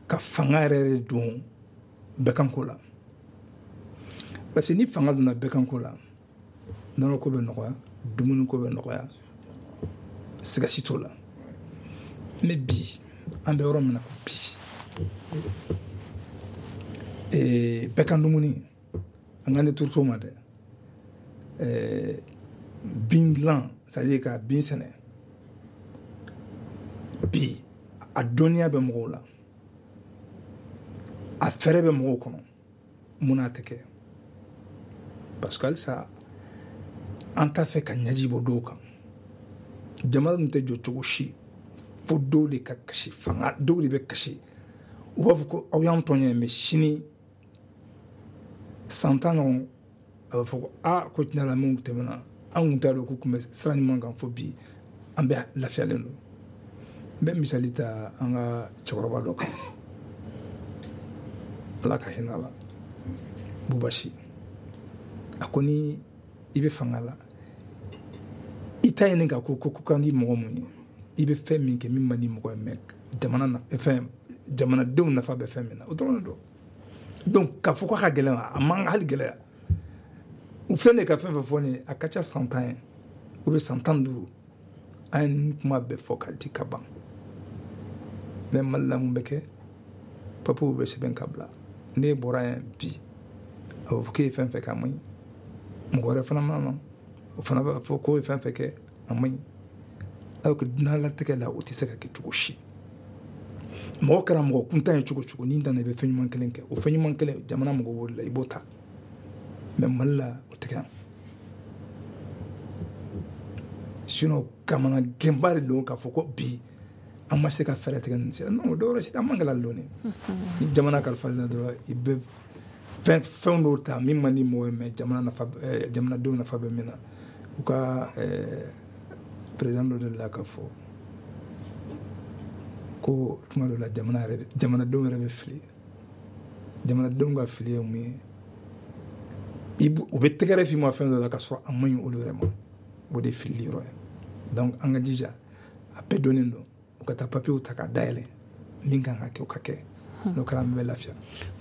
Speaker 2: ka fanga yɛrɛ de don bɛɛ kanko la, parce que ni fanga donna bɛɛ kanko la, nɔnɔ ko bɛ nɔgɔya, dumuni ko bɛ nɔgɔya, siga si t'o la. Mais bi, an bɛ yɔrɔ min na ko bi, bɛɛ kan dumuni, an k'an tɛ turuto ma dɛ, bin dilan, c'est à dire ka bin sɛnɛ, bi a dɔnniya bɛ mɔgɔw la, a fɛɛrɛ bɛ mɔgɔw kɔnɔ, mun n'a tɛ kɛ? Parce que halisa an t'a fɛ ka ɲɛji bɔ dɔw kan. Jamana ninnu tɛ jɔ cogo si fo dɔw de ka kasi, fanga dɔw de bɛ kasi. U b'a fɔ ko aw y'an tɔɲɔ, mais sini, san tan ɲɔgɔn, a bɛ fɔ ko aa, ko tiɲɛ la, min tɛmɛna, an kun t'a dɔn k'u tun bɛ sira ɲuman kan, fo bi an bɛɛ lafiyalen don. N bɛ misali ta an ka cɛkɔrɔba dɔ kan, Ala ka hinɛ a la, Bubasi. A ko ni i bɛ fanga la, i ta ɲini ka ko ko kan di mɔgɔ mun ye, i bɛ fɛn min kɛ min man di mɔgɔ ye, mais jamana na fɛn, jamanadenw nafa bɛ fɛn min na, o dɔrɔn de don. Donc k'a fɔ k'a ka gɛlɛn, a man hali gɛlɛya. U filɛ nin ye ka fɛn fɛn fɔ nin ye, a ka ca san tan ye ou bien san tan duuru, an ye nin kuma bɛɛ fɔ ka di ka ban. Mais Mali la, mun bɛ kɛ? Papiyew bɛ sɛbɛn ka bila. N'e bɔra yan bi, a bɛ fɔ k'e ye fɛn fɛn kɛ, a man ɲi. Mɔgɔ wɛrɛ fana mana na, o fana b'a fɔ k'o ye fɛn fɛn kɛ, a man ɲi. Alors que diɲɛlatigɛ la, o tɛ se ka kɛ cogo si. Mɔgɔ kɛra mɔgɔ kuntan ye cogo cogo, n'i nana, i bɛ fɛn ɲuman kelen kɛ, o fɛn ɲuman kelen, jamana mɔgɔ b'o de la, i b'o ta. Mais Mali la, o tɛ kɛ yan. Sinon kamana gɛnba de don k'a fɔ ko bi an ma se ka fɛɛrɛ tigɛ nin sira. Non, o dɔwɛrɛ si tɛ, an man gɛlɛya dɔɔni. Ni jamana kalifa la dɔrɔn, i bɛ fɛn fɛn dɔw ta min man di mɔgɔ ye, mais jamana nafa, jamanadenw nafa bɛ min na. U ka président dɔ delila k'a fɔ ko tuma dɔ la, jamana yɛrɛ, jamanadenw yɛrɛ bɛ fili. Jamanadenw ka fili ye mun ye? I u bɛ tɛgɛrɛ f'i ma fɛn dɔ la, k'a sɔrɔ a man ɲi olu yɛrɛ ma. O de ye filili yɔrɔ ye. Donc an ka jija, a bɛɛ donnen don, u ka taa papiyew ta k'a dayɛlɛ, min kan ka kɛ o ka kɛ. N'o kɛra, an bɛ lafiya.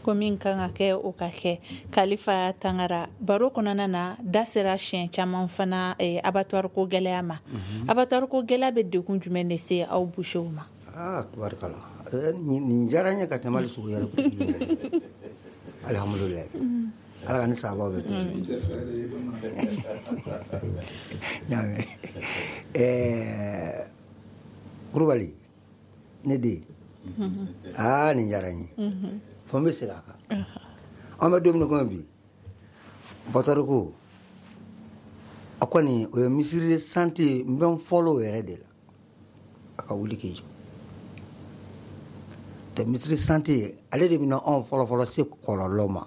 Speaker 3: Ko min kan ka kɛ, o ka kɛ. Kalifa Tangara, baro kɔnɔna na, da sera siɲɛ caman fana eh, abattoir ko gɛlɛya ma. Abattoir ko gɛlɛya bɛ degun jumɛn de se aw boucherw ma?
Speaker 4: Aa, tubarikala, nin diyara n ye ka tɛmɛ hali sogo yɛrɛ. Alihamudulilayi, Ala ka ni sababu bɛ to y'a mɛn. Ɛɛ, Kulubali, ne den, aa, nin diyara n ye fo n bɛ segin a kan. An bɛ don min na komi bi, abattoir ko a kɔni, o ye ministre de santé, n bɛ n fɔlɔ o yɛrɛ de la, a ka wuli k'i jɔ tɛ. Ministre santé, ale de bɛna anw fɔlɔ-fɔlɔ se kɔlɔlɔ ma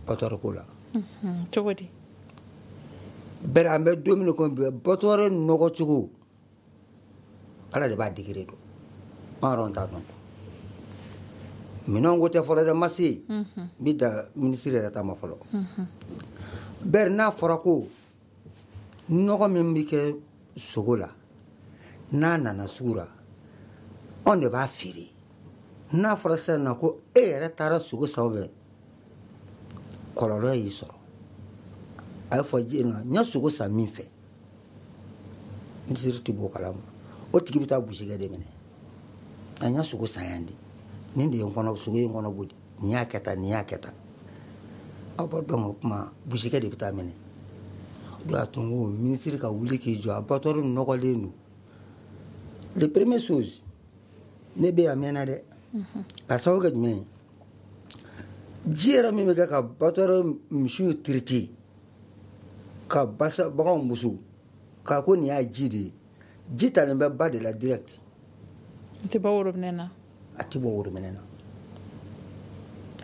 Speaker 4: abattoir ko la.
Speaker 3: Cogo di?
Speaker 4: Bɛri an bɛ don min na komi bi, abattoir nɔgɔ cogo, Ala de b'a degré dɔn, an yɛrɛ t'a dɔn. Minɛnw ko tɛ fɔlɔ dɛ, ma se n bɛ da minisiri yɛrɛ ta ma fɔlɔ. Bɛri n'a fɔra ko nɔgɔ min bɛ kɛ sogo la, n'a nana sugu la, anw de b'a feere. N'a fɔra sisan na ko e yɛrɛ taara sogo san fɛ, kɔlɔlɔ y'i sɔrɔ, a ye fɔ ji ma, n ye sogo san min fɛ, minisiri tɛ bɔ o kalama. O tigi bɛ taa busikɛ de minɛ, a n ye sogo san yan de, nin de ye n kɔnɔ, sogo ye n kɔnɔ boli, nin y'a kɛ tan, nin y'a kɛ tan. Aw b'a dɔn, o kuma busikɛ de bɛ taa minɛ. O de y'a to n ko minisiri ka wuli k'i jɔ, abattoir nɔgɔlen don. Le premier chose, ne bɛ yan a mɛnna dɛ. Ka sababu kɛ jumɛn ye? Ji yɛrɛ min bɛ kɛ ka abattoir misiw traiter, ka basa baganw muso k'a ko nin y'a ji de ye, ji talen bɛ ba de la direct.
Speaker 3: A tɛ bɔ worobinɛ na.
Speaker 4: A tɛ bɔ worobinɛ na.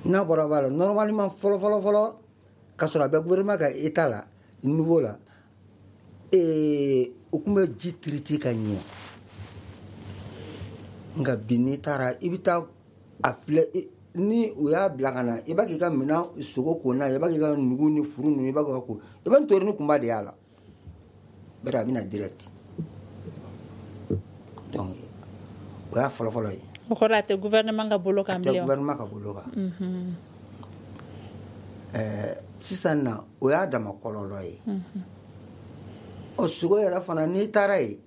Speaker 4: N'a bɔra ba la, normalement, fɔlɔ fɔlɔ fɔlɔ, ka sɔrɔ a bɛ gouvernement ka état la, niveau la, ee, u tun bɛ ji traiter ka ɲɛ. Nka bi, n'i taara, i bɛ taa a filɛ, ni u y'a bila ka na, i b'a k'i ka minɛn sogo ko n'a ye, i b'a k'i ka nugu ni furu ninnu, i b'a k'i ka ko, i bɛ ntori ni kunba de y'a la. Bari a bɛ na direct. Donc o y'a fɔlɔ fɔlɔ ye.
Speaker 3: O kɔrɔ, a tɛ gouvernement ka bolo kan
Speaker 4: bilen. A tɛ
Speaker 3: bilen.
Speaker 4: Gouvernement ka bolo kan. Ɛɛ, sisan na, o y'a dama kɔlɔlɔ ye. Ɔ, sogo yɛrɛ fana, n'i taara yen,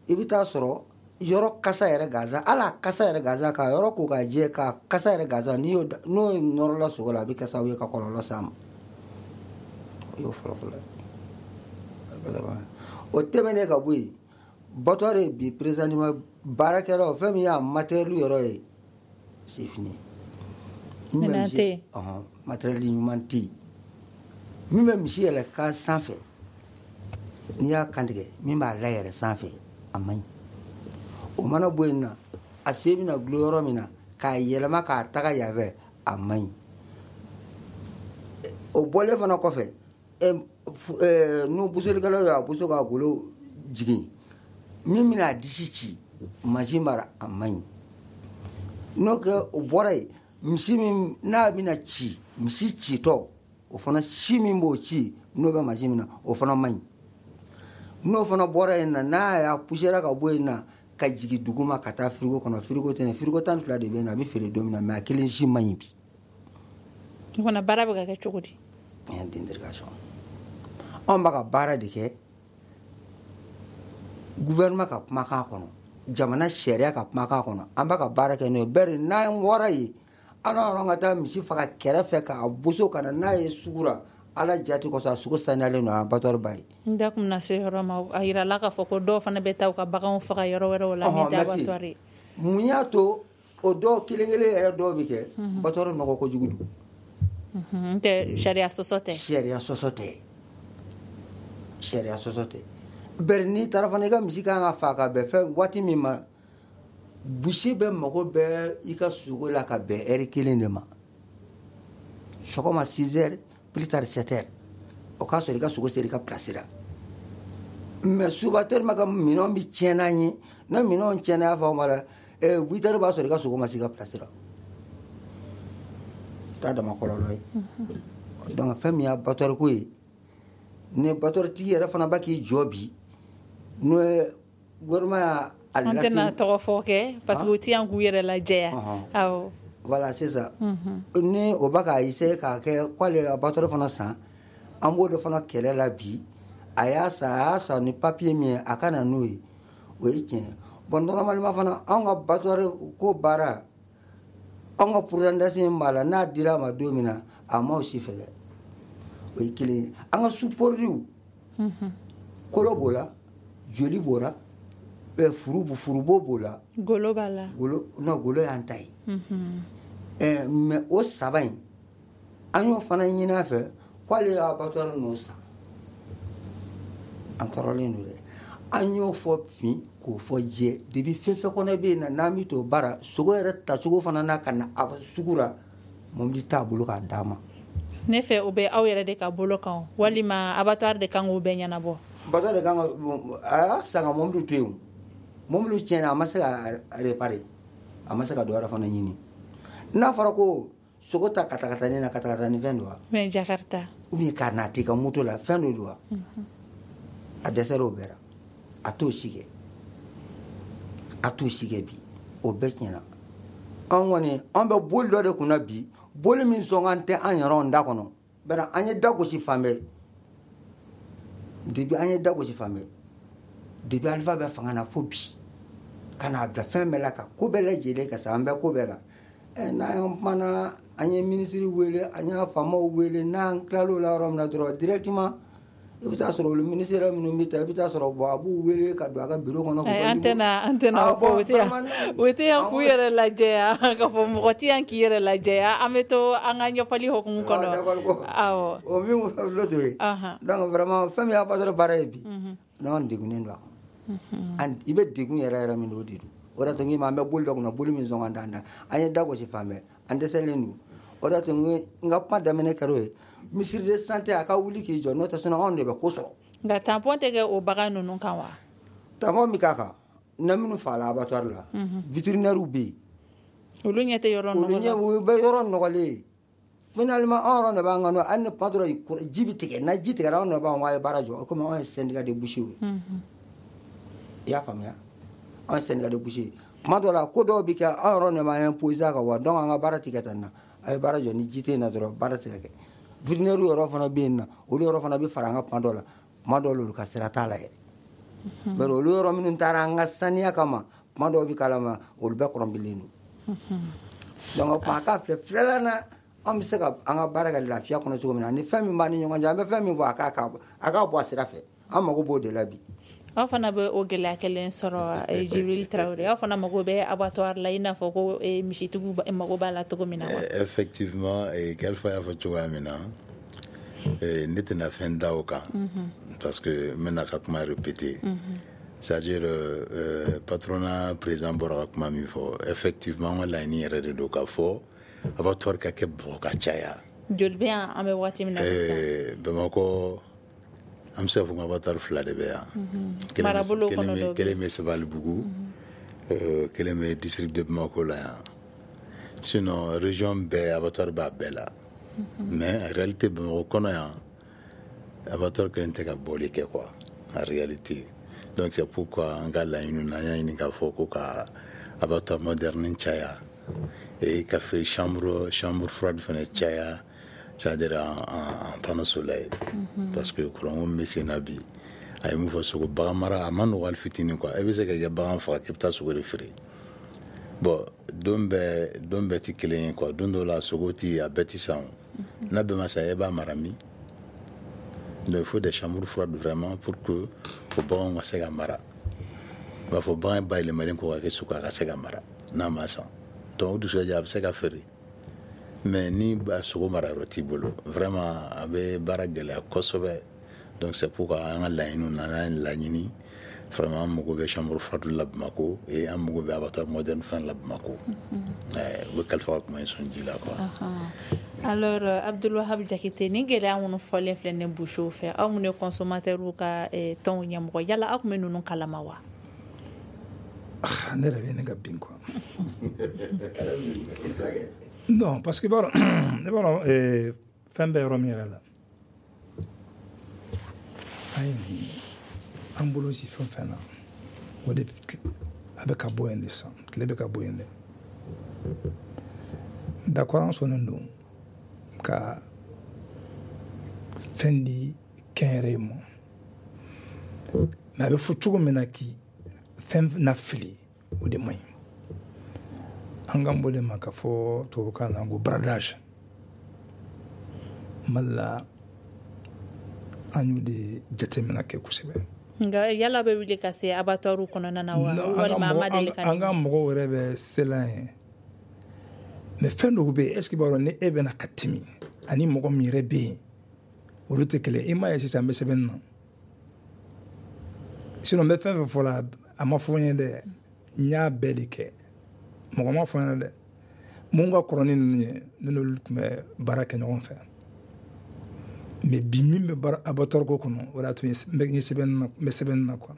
Speaker 4: i bɛ taa sɔrɔ yɔrɔ kasa yɛrɛ gansan, hali a kasa yɛrɛ gansan, ka yɔrɔ ko k'a jɛ, ka kasa yɛrɛ gansan, n'i y'o n'o nɔrɔla sogo la, a bɛ kɛ sababu ye ka kɔlɔlɔ s'a ma. O y'o fɔlɔ fɔlɔ ye. O tɛmɛnen ka bɔ yen, abattoir bi, présentement, baarakɛlaw, fɛn min y'a matériel yɔrɔ ye, c'est fini.
Speaker 3: Minɛn tɛ yen.
Speaker 4: Ɔhɔn, matériel ɲuman tɛ yen. Min bɛ misi yɛlɛ kan sanfɛ, n'i y'a kantigɛ, min b'a layɛlɛ sanfɛ, a man ɲi. O mana bɔ yen na, a sen bɛna gulon yɔrɔ min na k'a yɛlɛma k'a taga yan fɛ, a man ɲi. O bɔlen fana kɔfɛ, n'o bosolikɛlaw y'a boso k'a golo jigin, min bɛna a disi ci, mansin b'a la, a man ɲi. N'o kɛ, o bɔra yen, misi min n'a bɛna ci, misi citɔ, o fana si min b'o ci, n'o bɛ mansin min na, o fana man ɲi. N'o fana bɔra yen na, n'a y'a poussière ka bɔ yen na ka jigin duguma ka taa frigo kɔnɔ, frigo tɛ, frigo tan ni fila de bɛ yen na, a bɛ feere don min na, mais a kelen si man ɲi bi.
Speaker 3: O fana baara bɛ ka kɛ cogo di?
Speaker 4: D'interrogation. Anw b'a ka baara de kɛ gouvernement ka kumakan kɔnɔ, jamana sariya ka kumakan kɔnɔ, an b'a ka baara kɛ n'o ye. Bɛri n'an bɔra yen, an yɔrɔ ka taa misi faga kɛrɛfɛ k'a boso ka na n'a ye sugu la, Ala jati kosɔn, a sogo saniyalen don, abattoir ba ye.
Speaker 3: N da kun bɛna se yɔrɔ ma, a yirala k'a fɔ ko dɔw fana bɛ taa u ka baganw faga yɔrɔ wɛrɛw la min tɛ abattoir ye.
Speaker 4: Mun y'a to o dɔw kelen kelen yɛrɛ dɔw bɛ kɛ? Abattoir nɔgɔ kojugu don.
Speaker 3: N tɛ sariya sɔsɔ tɛ.
Speaker 4: Sariya sɔsɔ tɛ, sariya sɔsɔ tɛ. Bɛri n'i taara fana, i ka misi kan ka fa ka bɛn fɛn waati min ma, boucher bɛ mago bɛ i ka sogo la ka bɛn heure kelen de ma, sɔgɔma six heures, plus tard sept heures, o k'a sɔrɔ i ka sogo sera i ka place la. Mais souvent, tellement ka minɛnw bɛ tiɲɛ n'an ye, n'a minɛnw tiɲɛna, y'a fɔ ma la, huit heures b'a sɔrɔ i ka sogo ma se i ka place la. O t'a dama kɔlɔlɔ ye. Donc fɛn min y'a abattoir ko ye, ni abattoir tigi yɛrɛ fana b'a k'i jɔ bi. N'o ye gouvernement y'a
Speaker 3: an tɛna tɔgɔ fɔ kɛ parce que u ti yan k'u yɛrɛ lajɛya. Awɔ.
Speaker 4: Voilà, c'est ça. Ni o b'a k'a essayer k'a kɛ k'ale abattoir fana san, an b'o de fana kɛlɛ la bi. A y'a san, a y'a san ni papier min ye, a ka na n'o ye, o ye tiɲɛ ye. Bon, normalement fana, anw ka abattoir ko baara, anw ka pourcentage min b'a la, n'a dira a ma don min na, a m'o si fɛ dɛ. O ye kelen ye. An ka sous-produits, kolo b'o la, joli b'o la, furu furubo b'o la,
Speaker 3: golo b'a la.
Speaker 4: Golo non, golo y'an ta ye. Ɛɛ mais o saba in, an y'o fana ɲini a fɛ k'ale y'a abattoir ninnu san. An tɔɔrɔlen don dɛ. An y'o fɔ fin k'o fɔ jɛ depuis fɛn fɛn kɔnɔ bɛ yen na, n'an bɛ t'o baara sogo yɛrɛ tacogo fana na ka na a sugu la, mobili t'a bolo k'a d'a ma.
Speaker 3: Ne fɛ o bɛ aw yɛrɛ de ka bolo kan, walima abattoir de kan k'o bɛɛ ɲɛnabɔ?
Speaker 4: Abattoir de kan ka, a y'a san ka mobili to yen, mobili tiɲɛna, a ma se ka réparer, a ma se ka dɔ wɛrɛ fana ɲini. N'a fɔra ko sogo ta ka ta ka taa ni na ka ta ka taa ni fɛn don wa?
Speaker 3: Mais Jakarta.
Speaker 4: Ou bien k'a na t'i ka moto la, fɛn dɔ don wa? A dɛsɛra o bɛɛ la. A t'o si kɛ, a t'o si kɛ bi, o bɛɛ tiɲɛna. An kɔni, an bɛ boli dɔ de kunna bi, boli min sɔn tɛ an yɛrɛ da kɔnɔ. Bari an ye da gosi fan bɛɛ depuis, an ye da gosi fan bɛɛ depuis Alifa bɛ fanga na fo bi, ka n'a bila fɛn bɛɛ la, ka ko bɛɛ lajɛlen ka sa, an bɛ ko bɛɛ la. Ɛ n'an kumana, an ye minisiri wele, an y'a faamaw wele, n'an tilal'o la yɔrɔ min na dɔrɔn, directement i bɛ taa sɔrɔ olu ministère minnu bɛ taa, i bɛ taa sɔrɔ bon, a b'u wele ka don a ka bureau kɔnɔ.
Speaker 3: An tɛna an tɛna o fɔ, o tɛ yan, o tɛ yan k'u yɛrɛ lajɛya, k'a fɔ mɔgɔ tɛ yan k'i yɛrɛ lajɛya. An bɛ to an ka ɲɛfɔli hukumu kɔnɔ. Awɔ.
Speaker 4: O min filɛ to ye. Donc vraiment, fɛn min y'a abattoir baara ye bi, n'an degunnen don a kɔnɔ. I bɛ degun yɛrɛ yɛrɛ min don, o de don. O de y'a to n k'i ma, an bɛ boli dɔ kunna, boli min sɔn ka d'an da. An ye da gosi fan bɛɛ, an dɛsɛlen don. O de y'a to n ka kuma daminɛ kɛra o ye. Ministre de santé, a ka wuli k'i jɔ, n'o tɛ, sinon anw de bɛ ko sɔrɔ.
Speaker 3: Nka tampon tɛ kɛ o bagan ninnu kan wa?
Speaker 4: Tampon bɛ k'a kan na, minnu fagala abattoir la, vétérinaire bɛ yen.
Speaker 3: Olu ɲɛ tɛ yɔrɔ nɔgɔ la.
Speaker 4: Olu ɲɛ u bɛ yɔrɔ nɔgɔlen ye. Finalement, anw yɛrɛ de b'an ka nɔ, hali ni kuma dɔ la ji bɛ tigɛ, na ji tigɛra, anw de b'an ko a ye baara jɔ, komi anw ye syndicat de bouchers ye. I y'a faamuya, anw ye syndicat de bouchers ye. Kuma dɔ la, ko dɔw bɛ kɛ, anw yɛrɛ de b'an imposer a kan wa, donc an ka baara tɛ kɛ tan na. A ye baara jɔ, ni ji tɛ yen na dɔrɔn, baara tɛ ka kɛ. Vétérinaire yɔrɔ fana bɛ yen nɔ, olu yɔrɔ fana bɛ fara an ka kuma dɔ la, kuma dɔw la olu ka sira t'a la yɛrɛ. Bari olu yɔrɔ minnu taara an ka saniya kama, kuma dɔw bɛ k'a ma, olu bɛɛ kɔrɔnpilen don. Donc o kuma a k'a filɛ filɛla na, an bɛ se ka an ka baara kɛ lafiya kɔnɔ cogo min na, ni fɛn min b'an ni ɲɔgɔn cɛ, an bɛ fɛn min fɔ, a k'a a k'a bɔ a sira fɛ. An mago b'o de la bi.
Speaker 3: Aw fana bɛ o gɛlɛya kelen sɔrɔ, Jibril Traoré? Aw fana mago bɛ abattoir la, i n'a fɔ ko misitigiw mago b'a la cogo min na wa?
Speaker 5: Effectivement, Kalifa y'a fɔ cogoya min na, ne tɛna fɛn da o kan parce que n bɛna ka kuma répéter. C'est-à-dire euh, patronat président bɔra ka kuma min fɔ, effectivement, an ka laɲini yɛrɛ de don k'a fɔ abattoir ka kɛ Bamakɔ ka caya.
Speaker 3: Joli bɛ yan an bɛ waati min na
Speaker 5: sisan? Bamakɔ, an bɛ se k'a fɔ ko abattoir fila de bɛ yan.
Speaker 3: Marabolo kɔnɔ dɔ bɛ.
Speaker 5: Kelen bɛ Sabalibugu, kelen bɛ district de Bamako la yan. Sinon, région bɛɛ, abattoir b'a bɛɛ la. Mais en réalité, Bamakɔ kɔnɔ yan, abattoir kelen tɛ ka bɔli kɛ quoi, en réalité. Donc c'est pourquoi an ka laɲini na, an y'a ɲini k'a fɔ ko ka abattoir moderne caya et ka fe chambre chambre froide fana caya, c'est-à-dire en, en, en panneau solaire. Mm -hmm. Parce que courant min bɛ sen na bi, a ye mun fɔ, sogo bagan mara a ma nɔgɔ hali fitinin quoi. E bɛ se ka i ka bagan faga k'i bɛ taa sogo de feere. Bon, don bɛɛ don bɛɛ tɛ kelen ye quoi. Don dɔw la, sogo ti a bɛɛ ti san o. N'a bɛɛ ma san, e b'a mara min? Donc il faut des chambres froides vraiment pour que o baganw ka se ka mara. I b'a fɔ bagan bayɛlɛmalen kɔ ka kɛ sogo, a ka se ka mara n'a ma san. Donc o dugusajɛ a bɛ se ka feere. Mais ni sogo mara yɔrɔ t'i bolo, vraiment a bɛ baara gɛlɛya kosɛbɛ. Donc c'est pourquoi an ka laɲiniw na, an y'a laɲini vraiment, an mago bɛ chambre froide la Bamako et an mago bɛ abattoir moderne fana la Bamako. U bɛ Kalifa ka kuma in sɔn ji la quoi.
Speaker 3: Alors Abdul Wahab Jakite, ni gɛlɛya minnu fɔlen filɛ nin bouchers fɛ, aw minnu ye consommateurs ka tɔnw ɲɛmɔgɔ, yala aw tun bɛ ninnu kalama wa?
Speaker 2: Ne yɛrɛ bɛ ne ka bin quoi. Non, parce que i b'a dɔn, i b'a dɔn, fɛn bɛ yɔrɔ min yɛrɛ la, an ye nin An bolo si fɛn fɛn na, o de a bɛ ka bɔ yen de sisan, tile bɛ ka bɔ yen de. D'accord, an sɔnnen don ka fɛn di kɛnyɛrɛye ma, mais a bɛ fɔ cogo min na k'i fɛn na fili, o de man ɲi. An k'an b'o de ma ka fɔ tubabukan na ko bradage. Mali la, an y'o de jateminɛ kɛ kosɛbɛ.
Speaker 3: Nka yala bɛ wuli ka se abattoir kɔnɔna na wa, walima a ma deli ka?
Speaker 2: An ka mɔgɔw yɛrɛ bɛ sela yen, mais fɛn dɔw bɛ yen, est ce que i b'a dɔn ni e bɛna ka timi ani mɔgɔ min yɛrɛ bɛ yen, olu tɛ kelen. I m'a ye sisan, n bɛ sɛbɛnni na, sinon n bɛ fɛn fɛn fɔ la, a ma fɔ n ye dɛ, n y'a bɛɛ de kɛ, mɔgɔ ma fɔ n ɲɛna dɛ. Mun ka kɔrɔ ni ninnu ye, ne n'olu tun bɛ baara kɛ ɲɔgɔn fɛ. Mais bi min bɛ baara abattoir ko kɔnɔ, o de y'a to n ye sɛbɛnni na, n bɛ sɛbɛnni na quoi,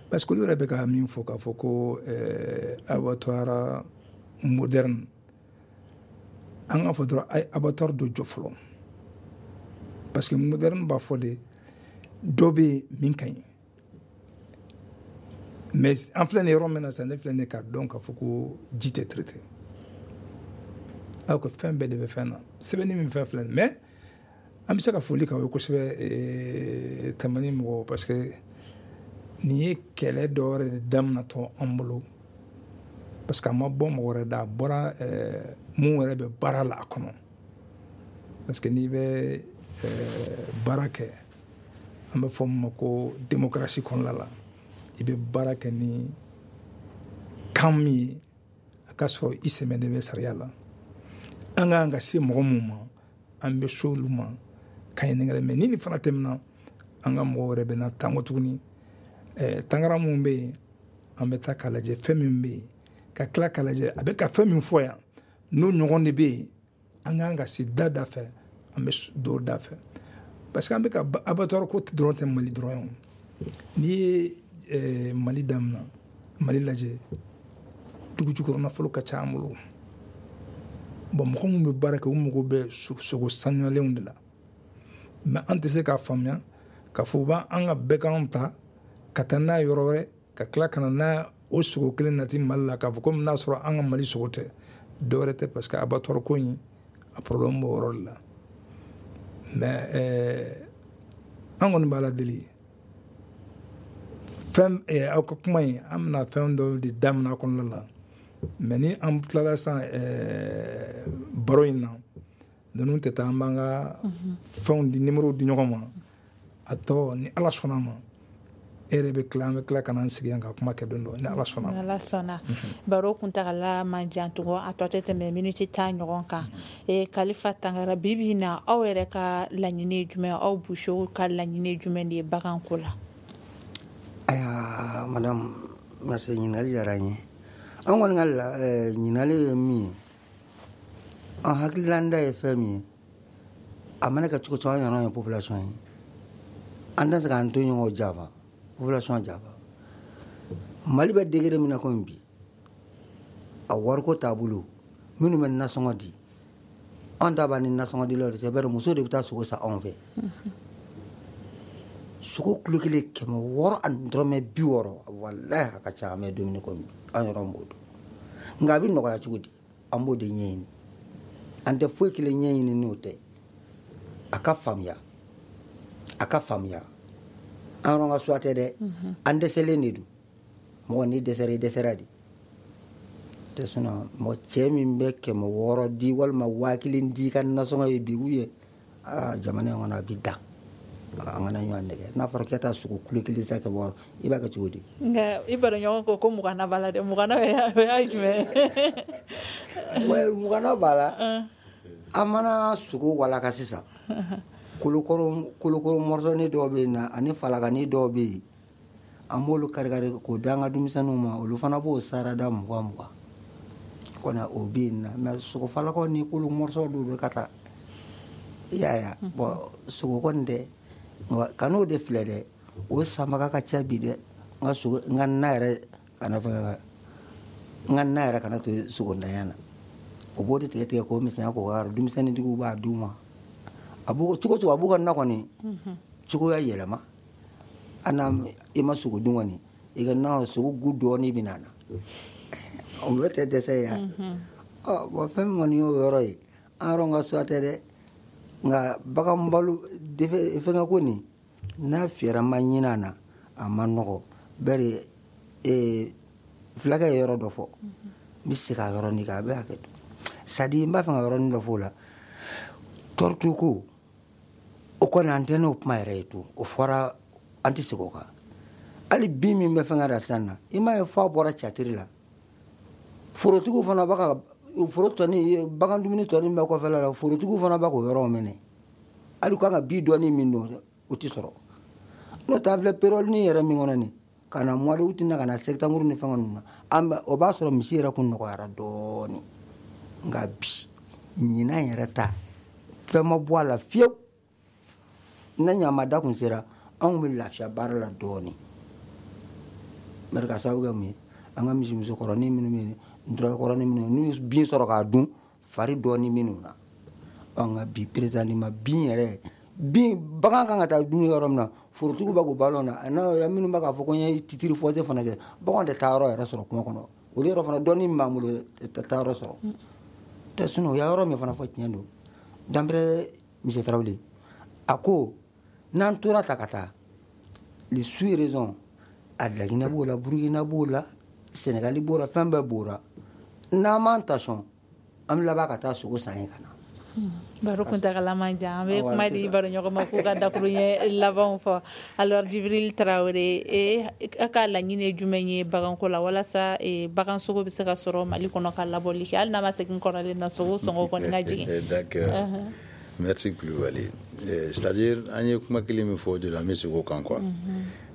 Speaker 2: parce que olu yɛrɛ bɛ ka min fɔ k'a fɔ ko ɛɛ abattoir moderne, an k'a fɔ dɔrɔn a ye abattoir dɔ jɔ fɔlɔ, parce que moderne b'a fɔ de dɔ bɛ yen min ka ɲi. Mais an filɛ nin yɔrɔ min na sisan, ne filɛ nin ye k'a dɔn k'a fɔ ko ji tɛ traité, alors que fɛn bɛɛ de bɛ fɛn na, sɛbɛnni min fɛn filɛ nin. Mais an bɛ se ka foli k'aw ye kosɛbɛ, Tamani mɔgɔw, parce que nin ye kɛlɛ dɔ wɛrɛ de daminɛtɔ an bolo, parce que a ma bɔ mɔgɔ wɛrɛ da, a bɔra mun yɛrɛ bɛ baara la a kɔnɔ. Parce que n'i bɛ baara kɛ, an bɛ fɔ min ma ko démocratie kɔnɔna la, i bɛ baara kɛ ni kan min ye, a ka sɔrɔ i sɛmɛ de bɛ sariya la. An ka kan ka se mɔgɔ mun ma, an bɛ se olu ma ka ɲininkali. Mais ni nin fana tɛmɛna, an ka mɔgɔw wɛrɛ bɛ na tango tuguni. Tangara mun bɛ yen, an bɛ taa k'a lajɛ fɛn min bɛ yen, ka tila k'a lajɛ a bɛ ka fɛn min fɔ yan, n'o ɲɔgɔn de bɛ yen. An kan ka se da da fɛ, an bɛ don da fɛ, parce que an bɛ ka abattoir ko dɔrɔn tɛ Mali dɔrɔn ye. N'i ye Mali daminɛ, Mali lajɛ, dugu jukɔrɔ nafolo ka ca an bolo. Bon, mɔgɔ minnu bɛ baara kɛ, u mago bɛ sogo sanuyalenw de la. Mais an tɛ se k'a faamuya k'a fɔ u b'an ka bɛɛkanw ta ka taa n'a ye yɔrɔ wɛrɛ, ka tila ka na n'a o sogo kelen nati Mali la, k'a fɔ komi n'a sɔrɔ an ka Mali sogo tɛ dɔ wɛrɛ tɛ, parce que abattoir ko in, a problème b'o yɔrɔ de la. Mais ɛɛ an kɔni b'a la deli fɛn aw ka kuma in, an bɛna fɛn dɔw de daminɛ a kɔnɔna la. Mais ni an tilala sisan baro in na, ninnu tɛ taa, an b'an ka fɛnw di, numéro di ɲɔgɔn ma. A tɔ, ni Ala sɔnna ma, e yɛrɛ bɛ tila, an bɛ tila ka n'an sigi yan ka kuma kɛ don dɔ, ni Ala sɔnna.
Speaker 3: Ni Ala sɔnna. Baro kuntagala man jan tugun, a tɔ tɛ tɛmɛ miniti tan ɲɔgɔn kan. Kalifa Tangara, bi bi in na, aw yɛrɛ ka laɲini ye jumɛn, aw busew ka laɲini ye jumɛn de ye baganko la?
Speaker 4: Ayiwa madame, merci, ɲininkali diyara n ye. An kɔni ka ɲininkali ye min ye, an hakililanda ye fɛn min ye, a mana kɛ cogo cogo, an yɛrɛ ye population ye, an tɛ se k'an to ɲɔgɔn janfa, population janfa. Mali bɛ degré min na komi bi, a wariko taabolo, minnu bɛ nasɔngɔ di, an ta b'a ni nasɔngɔ dilaw de cɛ, bari muso de bɛ taa sogo san anw fɛ. Sogo kilo kelen kɛmɛ wɔɔrɔ ani dɔrɔmɛ bi wɔɔrɔ, walahi a ka ca. An bɛ dumuni komi bi, an yɛrɛ b'o dɔn. Nka a bɛ nɔgɔya cogo di? An b'o de ɲɛɲini, an tɛ foyi kelen ɲɛɲini n'o tɛ. A ka faamuya, a ka faamuya, an yɛrɛ ka suwa tɛ dɛ, an dɛsɛlen de don. Mɔgɔ n'i dɛsɛra, i dɛsɛra de tɛ. Sinon mɔgɔ cɛ min bɛ kɛmɛ wɔɔrɔ di walima waa kelen di ka nasɔngɔ ye bi, ou aa jamana in kɔnɔ a bɛ dan. An kana ɲɔgɔn nɛgɛ. N'a fɔra k'e taa sogo kilo kelen san kɛmɛ wɔɔrɔ, i b'a kɛ cogo di?
Speaker 3: Nka i baroɲɔgɔn ko ko muganna b'a la dɛ, muganna o y'a jumɛn
Speaker 4: ye? Muganna b'a la. An mana sogo walaka sisan, kolokoro kolokoro mɔrɔsɔni dɔw bɛ yen na, ani falakani dɔw bɛ yen, an b'olu kari kari k'o d'an ka denmisɛnninw ma, olu fana b'o sarada mugan mugan kɔni, o bɛ yen na. Mais sogo falakaw ni kolo mɔrɔsɔ dɔw bɛ ka taa, i y'a ye. Bon, sogo kɔni tɛ, ka n'o de filɛ dɛ, o sanbaga ka ca bi dɛ. N ka sogo, n ka na yɛrɛ kana fɛn, n ka na yɛrɛ kana to sogo ntanya na, o b'o de tigɛ tigɛ k'o misɛnya k'o k'a denmisɛnnintigiw b'a d'u ma. A b'o cogo cogo, a b'u ka na kɔni cogoya yɛlɛma. Hali n'a i ma sogo dun kɔni, i ka na sogo gu dɔɔnin bɛ na na. O bɛɛ tɛ dɛsɛ ye wa? Ɔ bon, fɛn min kɔni y'o yɔrɔ ye, an yɛrɛ ka suwa tɛ dɛ, nka bagan balo fɛngɛ ko nin, n'a fɛɛrɛ ma ɲini a na, a ma nɔgɔ. Bari ee fulakɛ ye yɔrɔ dɔ fɔ, n bɛ segin a yɔrɔnin kan, a bɛ hakɛ to. C'est à dire n b'a fɛ ka yɔrɔnin dɔ fɔ o la. Tɔɔrɔto ko, o kɔni an tɛ n'o kuma yɛrɛ ye to, o fɔra, an tɛ segin o kan. Hali bin min bɛ fɛngɛ la sisan na, i m'a ye f'a bɔra catiri la. Forotigiw fana b'a ka foro tɔni, bagan dumuni tɔni bɛ kɔfɛla la, forotigiw fana b'a k'o yɔrɔ minɛ. Hali kan ka bin dɔɔni min don, o tɛ sɔrɔ. N'o tɛ, an filɛ période yɛrɛ min kɔnɔ nin, ka na mois d'août na, ka na septembre ni fɛngɛ ninnu na, an bɛ o b'a sɔrɔ misi yɛrɛ kun nɔgɔyara dɔɔni. Nka bi ɲinan yɛrɛ ta, fɛn ma bɔ a la fiyewu. Ne ɲamada kun sera, anw bɛ lafiya baara la dɔɔni. Bari ka sababu kɛ mun ye, an ka misimusokɔrɔnin minnu bɛ yen, nturakɔrɔnin minnu, n'u ye bin sɔrɔ k'a dun, fari dɔɔni minnu na. Ɔ nka bi présentement bin yɛrɛ, bin bagan kan ka taa dumuni yɔrɔ min na, forotigiw bɛ k'o balo na, n'a minnu bɛ k'a fɔ ko n ye titre foncier fana kɛ, baganw tɛ taa yɔrɔ yɛrɛ sɔrɔ kungo kɔnɔ. Olu yɔrɔ fana dɔɔni min b'an bolo tɛ taa yɔrɔ sɔrɔ. Tɛ sinon o y'a yɔrɔ min fana fɔ, tiɲɛ don. Danbɛrɛ Monsieur Tarawele a ko n'an tora ta ka taa les sous-régions, a Laginɛ b'o la, Burukina b'o la, Sénégal b'o la, fɛn bɛɛ b'o la. N'an m'an ta sɔn, an bɛ laban ka taa sogo san yen ka na.
Speaker 3: Baro kuntagala man jan, an bɛ kuma di baro ɲɔgɔn ma k'u ka dakuruɲɛ labanw fɔ. Alors Jibril Tarawele, e a ka laɲini ye jumɛn ye baganko la, walasa bagan sogo bɛ se ka sɔrɔ Mali kɔnɔ ka labɔli kɛ, hali n'a ma segin kɔrɔlen na, sogo sɔngɔ kɔni ka jigin?
Speaker 5: D'accord, merci Kulubali. C'est-à-dire an ye kuma kelen min fɔ, o de la an bɛ segin o kan quoi.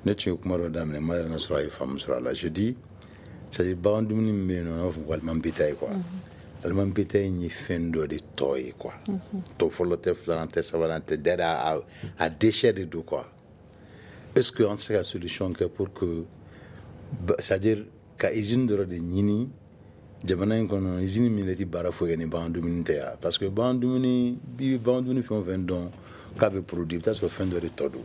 Speaker 5: Ne tun ye kuma dɔ daminɛ, ma yɛrɛ sɔrɔ a ye faamu sɔrɔ a la. Je dis, c'est-à-dire bagan dumuni min bɛ yen nɔ, an b'a fɔ ko aliment bétail quoi. Aliment bétail in ye fɛn dɔ de tɔ ye quoi. Tɔ fɔlɔ tɛ, filanan tɛ, sabanan tɛ, d'ailleurs a, a déchet de don quoi. Est-ce que an tɛ se ka solution kɛ pour que, c'est-à-dire ka usine dɔ de ɲini jamana in kɔnɔ, usine min tɛ baara foyi kɛ ni bagan dumuni tɛ yan? Parce que bagan dumuni, i bɛ bagan dumuni fɛn o fɛn dɔn k'a bɛ produit, i bɛ taa sɔrɔ fɛn dɔ de tɔ don.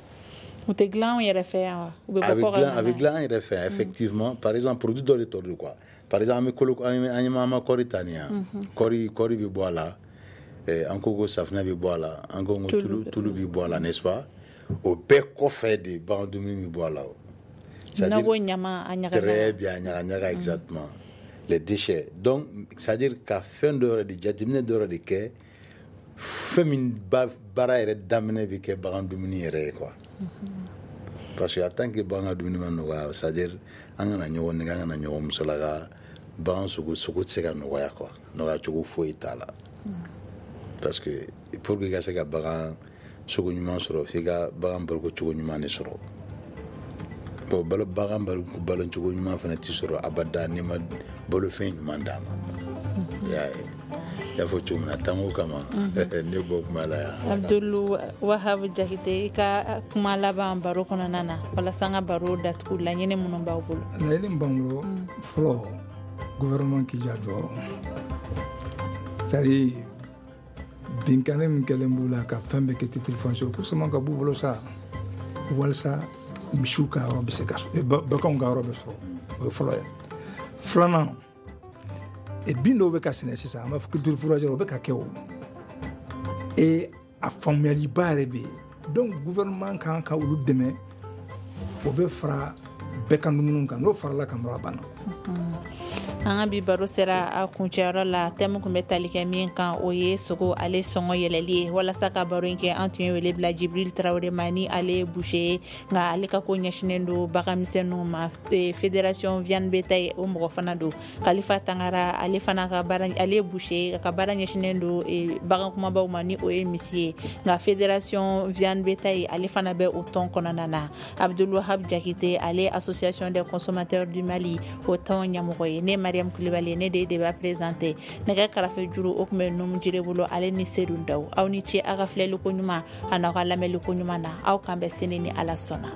Speaker 3: U tɛ dilan anw yɛrɛ fɛ yan wa? U bɛ
Speaker 5: bɔ
Speaker 3: kɔkan?
Speaker 5: A bɛ dilan an yɛrɛ fɛ yan effectivement. Par exemple produit dɔ de tɔ don quoi. Par exemple an bɛ kolo, an ye an ma kɔɔri ta nin yan, kɔɔri kɔɔri bɛ bɔ a la, an ko ko safunɛ bɛ bɔ a la, an ko ko tulu tulu bɛ bɔ a la, n'est-ce pas? O bɛɛ kɔfɛ de bagan dumuni bɛ bɔ a la o.
Speaker 3: N'a ko ɲama, a ɲaga ɲaga.
Speaker 5: Très bien, a ɲaga ɲaga, exactement. Les déchets. Donc c'est-à-dire ka fɛn dɔ yɛrɛ de jateminɛ dɔ yɛrɛ de kɛ, fɛn min baara yɛrɛ daminɛ bɛ kɛ bagan dumuni yɛrɛ ye quoi. Parce que en tant que bagan ka dumuni ma nɔgɔya, c'est-à-dire an kana ɲɔgɔn nɛgɛ, an kana ɲɔgɔn musalaka, bagan sogo sogo tɛ se ka nɔgɔya quoi, nɔgɔya cogo foyi t'a la. Parce que pour que i ka se ka bagan sogo ɲuman sɔrɔ, f'i ka bagan baloko cogo ɲuman de sɔrɔ. Bon, balo bagan balo cogo ɲuman fana tɛ sɔrɔ abada n'i ma balofɛn ɲuman d'a ma. I y'a ye, i y'a fɔ cogo min na, tanko kama ne bɔ kuma la yan.
Speaker 3: Abdul Wahab Jakite, i ka kuma laban baro kɔnɔna na, walasa an ka baro datugu, laɲini minnu b'aw bolo?
Speaker 2: Laɲini min b'an bolo, fɔlɔ, gouvernement k'i jɔ a jɔyɔrɔ. C'est à dire binkanni min kɛlen b'u la ka fɛn bɛɛ kɛ titre foncier, ko sama ka b'u bolo sa, walasa misiw ka yɔrɔ bɛ se ka sɔrɔ, baganw ka yɔrɔ bɛ sɔrɔ. O ye fɔlɔ ye. Filanan, bin dɔw bɛ ka sɛnɛ sisan, an b'a fɔ culture fourragère, o bɛ ka kɛ o, et a faamuyaliba yɛrɛ bɛ yen. Donc gouvernement kan ka olu dɛmɛ, o bɛ fara bɛɛ ka dumuni kan, n'o farala kan dɔrɔn, a banna.
Speaker 3: An ka bi baro sera a kuncɛyɔrɔ la. Thème kun bɛ tali kɛ min kan, o ye sogo ale sɔngɔ yɛlɛli ye. Walasa ka baro in kɛ, an tun ye wele bila Jibril Tarawele ma, ni ale ye boucher ye, nka ale ka ko ɲɛsinnen don baganmisɛnninw ma, fédération viande bétail o mɔgɔ fana don. Kalifa Tangara, ale fana ka baara, ale ye boucher ye, ka baara ɲɛsinnen don bagan kumabaw ma, ni o ye misi ye, nka fédération viande bétail ale fana bɛ o tɔn kɔnɔna na. Abdul Wahab Jakite, ale association des consommateurs du Mali o tɔn ɲɛmɔgɔ ye. Ne Mariam Kulibali, ne de de b'a présenter. Nɛgɛ karafe juru o tun bɛ Numu Jire bolo, ale ni Sedu Daw. Aw ni ce aw ka filɛli ko ɲuman a n'aw ka lamɛnli ko ɲuman na. Aw kan bɛn sini ni Ala sɔnna.